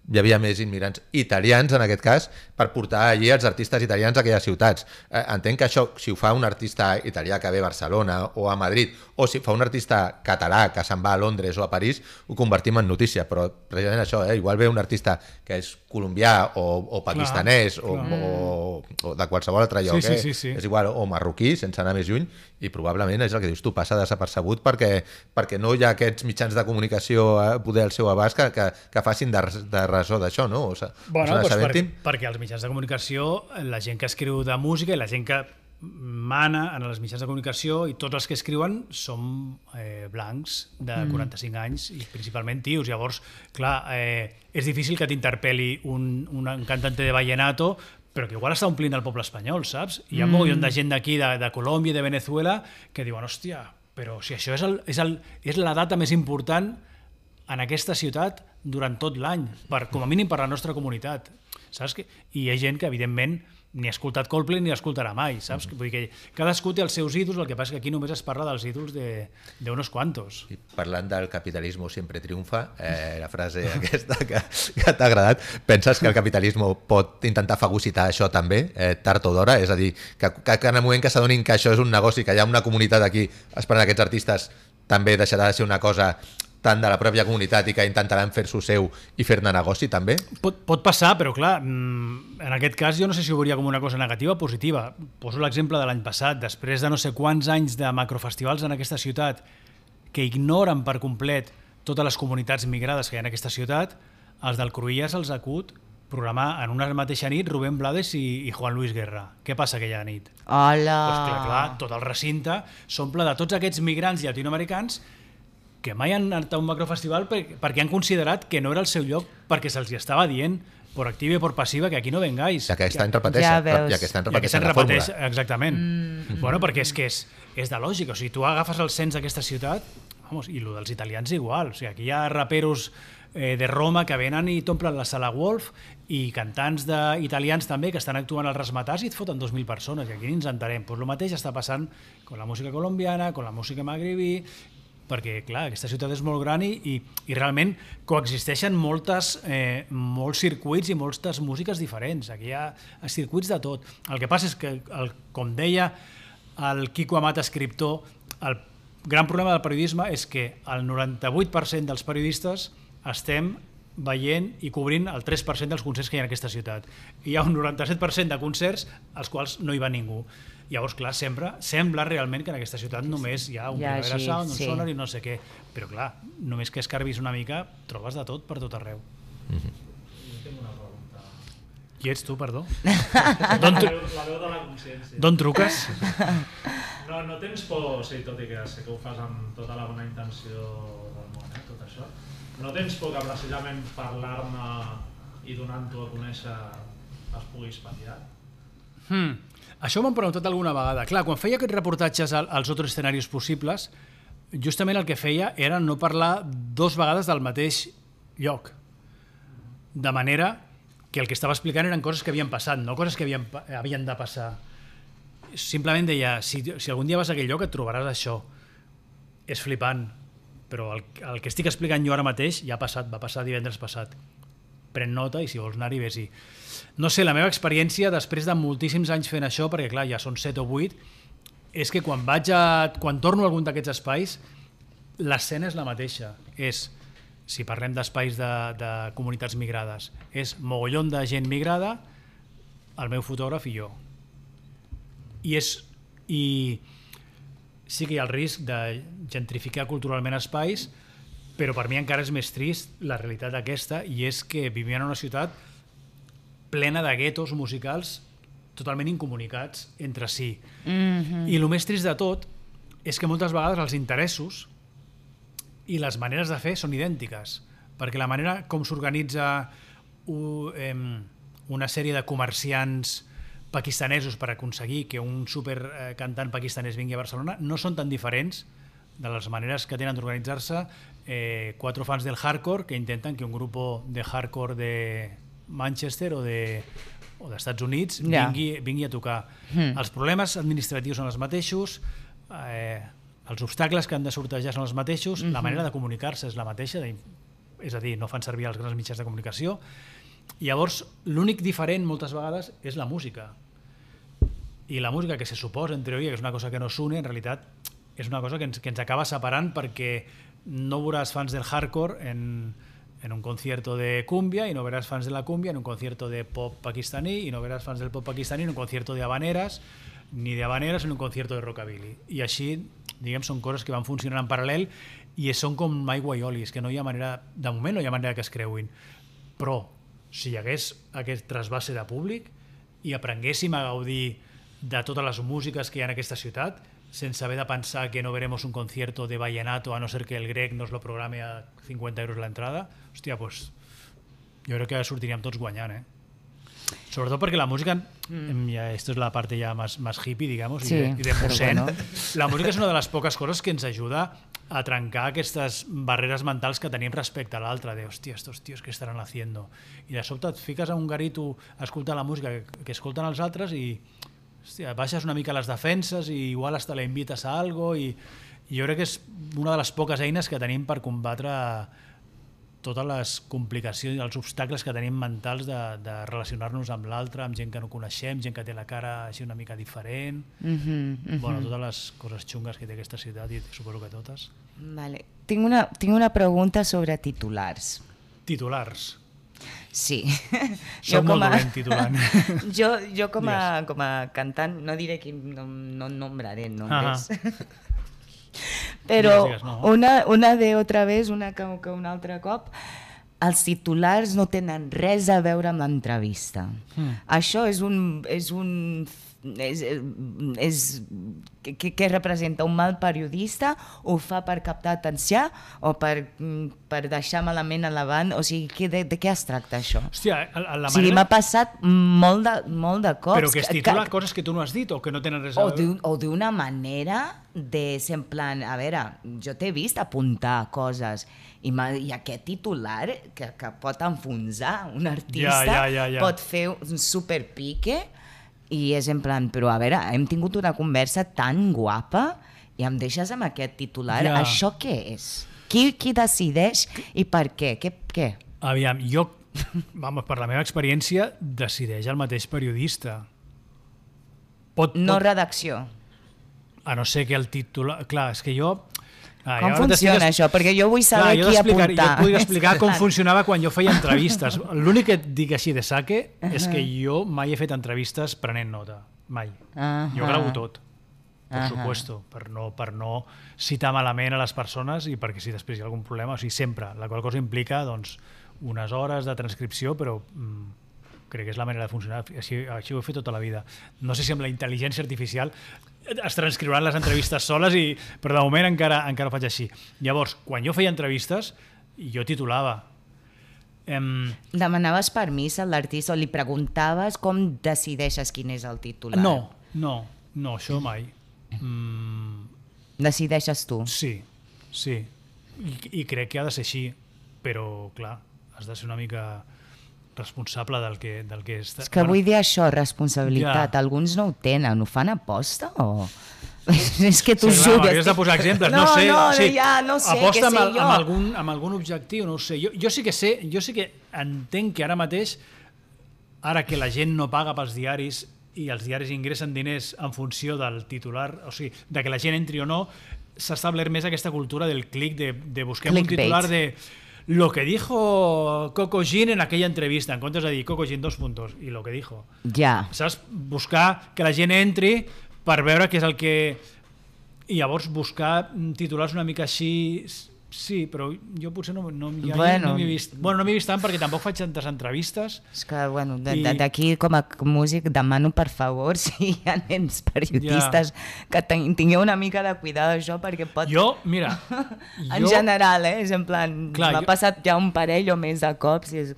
hi havia més immigrants italians, en aquest cas, per portar allí els artistes italians a aquelles ciutats. Entenc que això, si ho fa un artista italià que ve a Barcelona o a Madrid, o si fa un artista català que se'n va a Londres o a París, ho convertim en notícia, però precisament això, igual ve un artista que és colombià o pakistanès o de qualsevol altre lloc,
sí.
És igual, o marroquí, sense anar més lluny, i probablement és el que dius tu, passa desapercebut perquè no hi ha aquests mitjans de comunicació poder al seu abast que facin de ressò d'això, no?
Bueno, perquè els mitjans de comunicació, la gent que escriu de música i la gent que mana en els mitjans de comunicació i tots els que escriuen són blancs de 45 anys i principalment tios. Llavors, clar, és difícil que t'interpel·li un cantante de vallenato però que igual està omplint el poble espanyol, saps? Hi ha un mogollon de gent d'aquí, de Colòmbia i de Venezuela, que diuen, hòstia, però si això és la data més important en aquesta ciutat durant tot l'any, com a mínim per la nostra comunitat, saps? I hi ha gent que, evidentment, ni ha escoltat Coldplay ni l'escoltarà mai, saps? Vull dir que cadascú té els seus ídols, el que passa que aquí només es parla dels ídols d'unos quantos.
I parlant del capitalisme sempre triomfa, la frase aquesta que t'ha agradat, penses que el capitalisme pot intentar fagocitar això també, tard o d'hora? És a dir, que en el moment que s'adonin que això és un negoci, que hi ha una comunitat aquí esperant aquests artistes, també deixarà de ser una cosa tant de la pròpia comunitat i que intentaran fer-s'ho seu i fer-ne negoci també?
Pot passar, però clar, en aquest cas jo no sé si ho veuria com una cosa negativa o positiva. Poso l'exemple de l'any passat, després de no sé quants anys de macrofestivals en aquesta ciutat que ignoren per complet totes les comunitats migrades que hi ha en aquesta ciutat, els del Cruïlles els acut programar en una mateixa nit Rubén Blades i Juan Luis Guerra. Què passa aquella nit?
Hola!
Doncs clar, tot el recinte s'omple de tots aquests migrants llatinoamericans que mai han anat a un macrofestival perquè han considerat que no era el seu lloc perquè se'ls estava dient por activa i por passiva que aquí no vengáis.
I aquest any repeteix, la fórmula.
Exactament. Bueno, perquè és que és de lògica. O sigui, tu agafes el cens d'aquesta ciutat, i el dels italians igual. O sigui, aquí hi ha raperos de Roma que venen i t'omplen la sala Wolf i cantants italians també que estan actuant al Rasmatàs i et foten 2.000 persones i aquí ni ens entenem. Pues el mateix està passant amb la música colombiana, amb la música magribí, perquè, clar, aquesta ciutat és molt gran i realment coexisteixen molts circuits i moltes músiques diferents. Aquí hi ha circuits de tot. El que passa és que, com deia el Quico Amat, escriptor, el gran problema del periodisme és que el 98% dels periodistes estem veient i cobrint el 3% dels concerts que hi ha en aquesta ciutat. Hi ha un 97% de concerts als quals no hi va ningú. Llavors, clar, sembla realment que en aquesta ciutat només hi ha un Primavera Sound, un Sonar i no sé què. Però, clar, només que escarbis una mica, trobes de tot per tot arreu.
Jo tinc una pregunta.
Qui ets tu, perdó?
La veu de la consciència.
D'on truques?
No tens por, sí, tot i que sé que ho fas amb tota la bona intenció del món, tot això. No tens por que precisament parlar-ne i donant-ho a conèixer es pugui espatllar?
Això m'han preguntat alguna vegada. Clar, quan feia aquests reportatges als altres escenaris possibles, justament el que feia era no parlar 2 vegades del mateix lloc. De manera que el que estava explicant eren coses que havien passat, no coses que havien de passar. Simplement deia, si algun dia vas a aquell lloc et trobaràs això. És flipant, però el que estic explicant jo ara mateix ja ha passat, va passar divendres passat. Pren nota i si vols anar-hi, vés-hi. No sé, la meva experiència, després de moltíssims anys fent això, perquè clar, ja són 7 o 8, és que quan torno a algun d'aquests espais, l'escena és la mateixa. Si parlem d'espais de comunitats migrades, és mogollon de gent migrada, el meu fotògraf i jo. I sí que hi ha el risc de gentrificar culturalment espais, però per mi encara és més trist la realitat aquesta, i és que vivim en una ciutat plena de guetos musicals totalment incomunicats entre si. I el més trist de tot és que moltes vegades els interessos i les maneres de fer són idèntiques, perquè la manera com s'organitza una sèrie de comerciants pakistanesos per aconseguir que un supercantant pakistanès vingui a Barcelona no són tan diferents de les maneres que tenen d'organitzar-se 4 fans del hardcore que intenten que un grup de hardcore de Manchester o d'Estats Units vingui a tocar. Els problemes administratius són els mateixos, els obstacles que han de sortejar són els mateixos, la manera de comunicar-se és la mateixa, és a dir, no fan servir els grans mitjans de comunicació. Llavors, l'únic diferent moltes vegades és la música. I la música que se suposa, en teoria, que és una cosa que no s'une, en realitat és una cosa que ens acaba separant, perquè no veuràs fans del hardcore en un concierto de cumbia y no verás fans de la cumbia en un concierto de pop pakistaní y no verás fans del pop pakistaní en un concierto de habaneras, ni de habaneras en un concierto de rockabilly. I així, diguem, són coses que van funcionant en paral·lel i són com aigua i oli, que no hi ha manera, de moment no hi ha manera que es creuin. Però si hi hagués aquest trasbase de públic i aprenguéssim a gaudir de totes les músiques que hi ha en aquesta ciutat, sense haver de pensar que no veremos un concierto de vallenato a no ser que el grec nos lo programe a 50 euros la entrada, hòstia, pues jo crec que sortiríem tots guanyant, Sobretot perquè la música, esto es la parte ya más hippie, digamos,
sí,
y de musén,
bueno.
La música és una de les poques coses que ens ajuda a trencar aquestes barreres mentals que tenim respecte a l'altre, de, hòstia, estos tíos, què estaran haciendo? I de sobte et fiques a un garito a escoltar la música que escolten els altres i, hòstia, baixes una mica les defenses i igual hasta la invites a algo i jo crec que és una de les poques eines que tenim per combatre totes les complicacions i els obstacles que tenim mentals de relacionar-nos amb l'altre, amb gent que no coneixem, gent que té la cara així una mica diferent. Bueno, totes les coses xungues que té aquesta ciutat, i suposo que totes.
Vale. Tinc una pregunta sobre titulars.
Titulars.
Sí.
Soc molt dolent titulant.
Jo com a cantant, no diré que no nombraré nombres. Però una de otra vez, una que un altre cop, els titulars no tenen res a veure amb l'entrevista. Això què representa? Un mal periodista? Ho fa per captar atenció o per deixar malament a l'avant? O sigui, de què es tracta això?
Hòstia,
o sigui, m'ha passat molt de cops.
Però que es titula coses que tu no has dit o que no tenen res a veure?
O d'una manera de ser en plan, a veure, jo t'he vist apuntar coses i aquest titular que pot enfonsar un artista, pot fer un superpique i és en plan, però a veure, hem tingut una conversa tan guapa i em deixes amb aquest titular, això què és? Qui decideix i per què? Què?
Aviam, jo, per la meva experiència, decideix el mateix periodista.
No redacció.
A no ser que el titular... Clar, és que jo...
Com funciona això? Perquè jo vull saber qui apuntar.
Jo et podria explicar com funcionava quan jo feia entrevistes. L'únic que et dic així de saque és que jo mai he fet entrevistes prenent nota. Mai. Jo gravo tot, per supuesto, per no citar malament a les persones i perquè si després hi ha algun problema, o sigui, sempre. La qual cosa implica doncs, unes hores de transcripció, però crec que és la manera de funcionar. Així ho he fet tota la vida. No sé si amb la intel·ligència artificial es transcriuran les entrevistes soles, però de moment encara ho faig així. Llavors, quan jo feia entrevistes, jo titulava.
Demanaves permís a l'artista o li preguntaves com decideixes quin és el titular?
No, això mai.
Decideixes tu?
Sí. I crec que ha de ser així, però clar, has de ser una mica responsable del que està...
És que vull dir això, responsabilitat. Alguns no ho tenen, ho fan a posta o... És que tu jugues...
M'havies de posar exemples, no sé.
No sé,
aposta
què sé jo.
amb algun objectiu, no ho sé. Jo sí que entenc que ara mateix, ara que la gent no paga pels diaris i els diaris ingressen diners en funció del titular, o sigui, de que la gent entri o no, s'ha establert més aquesta cultura del click, de busquem un titular de... Lo que dijo Coco Jean en aquella entrevista, en comptes de dir Coco Jean 2 puntos, i lo que dijo.
Ja.
Saps? Buscar que la gent entri per veure què és el que... I llavors buscar titulars una mica així... Sí, però jo potser no m'hi he vist. Bueno, no m'hi he vist tant perquè tampoc faig tantes entrevistes. És
que, bueno, d'aquí com a músic demano, per favor, si hi ha nens periodistes que tingueu una mica de cuidado d'això perquè pot...
Mira...
en general, és en plan... M'ha passat ja un parell o més de cops i és...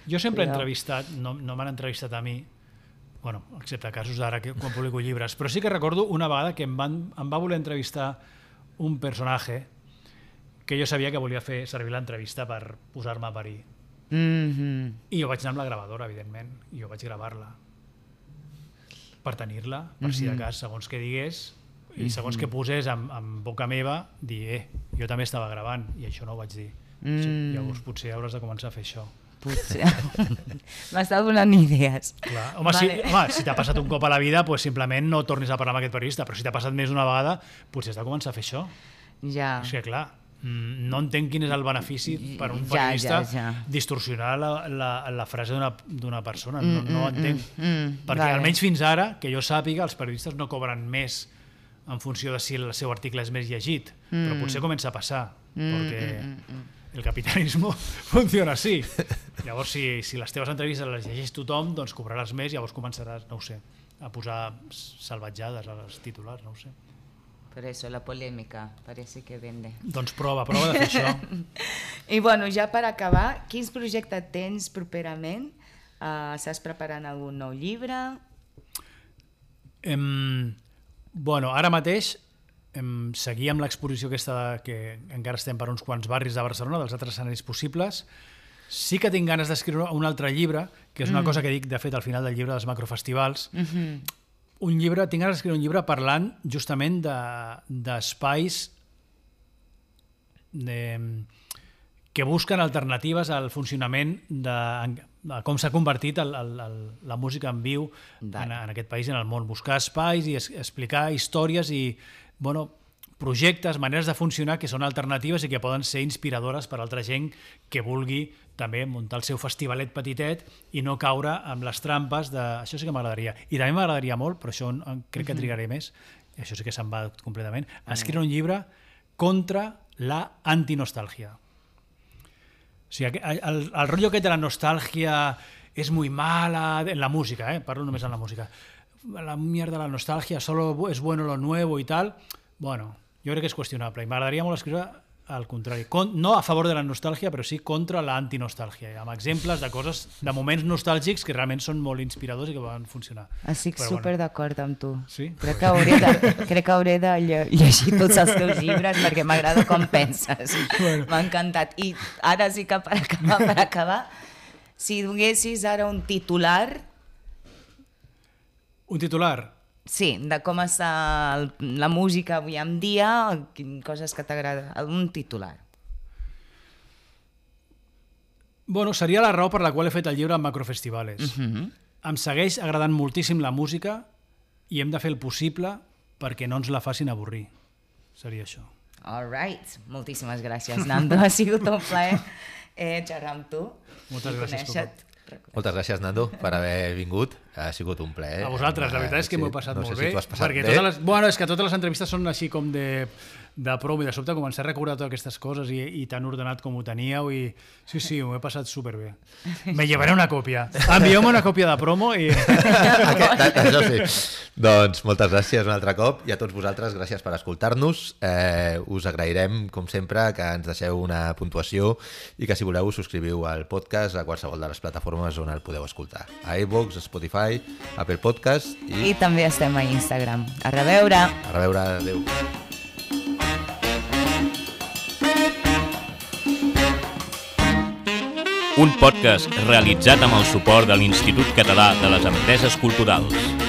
Jo sempre he entrevistat, no m'han entrevistat a mi, bueno, excepte casos d'ara quan publico llibres, però sí que recordo una vegada que em va voler entrevistar un personatge que jo sabia que volia fer servir l'entrevista per posar-me a parir. I jo vaig anar amb la gravadora, evidentment, i jo vaig gravar-la per tenir-la, per si de cas, segons què digués, i segons què posés en boca meva, dir, jo també estava gravant, i això no ho vaig dir. Llavors potser hauràs de començar a fer això.
Potser. M'està donant idees.
Clar. Home, si t'ha passat un cop a la vida, pues simplement no tornis a parlar amb aquest periodista, però si t'ha passat més d'una vegada, potser has de començar a fer això.
Ja.
És que clar, no entenc quin és el benefici per un periodista distorsionar la frase d'una persona. No entenc. Perquè almenys fins ara, que jo sàpiga, els periodistes no cobren més en funció de si el seu article és més llegit, però potser comença a passar, perquè el capitalisme funciona així. Llavors, si les teves entrevistes les llegeix tothom, doncs cobraràs més, llavors començaràs, no ho sé, a posar salvatjades als titulars, no ho sé.
Per eso la polèmica, parece que vende.
Doncs prova de fer això.
I bueno, ja per acabar, quins projectes tens properament? Estàs preparant algun nou llibre?
Bueno, ara mateix seguir amb l'exposició aquesta que encara estem per uns quants barris de Barcelona, dels altres escenaris possibles. Sí que tinc ganes d'escriure un altre llibre, que és una cosa que dic, de fet, al final del llibre dels macrofestivals. Tinc ganes d'escriure un llibre parlant justament d'espais que busquen alternatives al funcionament de com s'ha convertit la música en viu en aquest país i en el món. Buscar espais i explicar històries i projectes, maneres de funcionar que són alternatives i que poden ser inspiradores per a altra gent que vulgui també muntar el seu festivalet petitet i no caure amb les trampes de... Això sí que m'agradaria. I també m'agradaria molt, però això crec que trigaré més, això sí que se'n va completament, escriure un llibre contra la antinostàlgia. O sigui, el rotllo aquest de la nostàlgia és muy mala, en la música, parlo només en la música. La mierda de la nostàlgia, solo es bueno lo nuevo i tal. Bueno, jo crec que és qüestionable i m'agradaria molt escriure al contrari. No a favor de la nostàlgia, però sí contra la antinostàlgia, amb exemples de coses, de moments nostàlgics que realment són molt inspiradors i que van funcionar.
Estic super d'acord amb tu.
Sí?
Crec que hauré de llegir tots els teus llibres perquè m'agrada com penses. M'ha encantat. I ara sí que per acabar, si donessis ara un titular...
Un titular?
Sí, de com està la música avui en dia, coses que t'agrada, un titular.
Bueno, seria la raó per la qual he fet el llibre en Macrofestivales. Em segueix agradant moltíssim la música i hem de fer el possible perquè no ens la facin avorrir. Seria això.
All right. Moltíssimes gràcies, Nando. Ha sigut un plaer xerrar amb tu.
Moltes gràcies, Coco.
Moltes gràcies, Nando, per haver vingut. Ha sigut un plaer.
A vosaltres, la veritat és que m'ho he passat molt bé.
No sé si t'ho has passat bé.
És que totes les entrevistes són així com de promo i de sobte començar a recordar totes aquestes coses i tan ordenat com ho teníeu i sí, m'ho he passat superbé. Me llevaré una còpia. Envieu-me una còpia de promo i...
Això sí. Doncs moltes gràcies un altre cop i a tots vosaltres gràcies per escoltar-nos. Us agrairem, com sempre, que ens deixeu una puntuació i que si voleu us subscriviu al podcast a qualsevol de les plataformes on el podeu escoltar. A iVoox, Spotify, Apple Podcast
i també estem a Instagram. A reveure!
A reveure, adéu.
Un podcast realitzat amb el suport de l'Institut Català de les Empreses Culturals.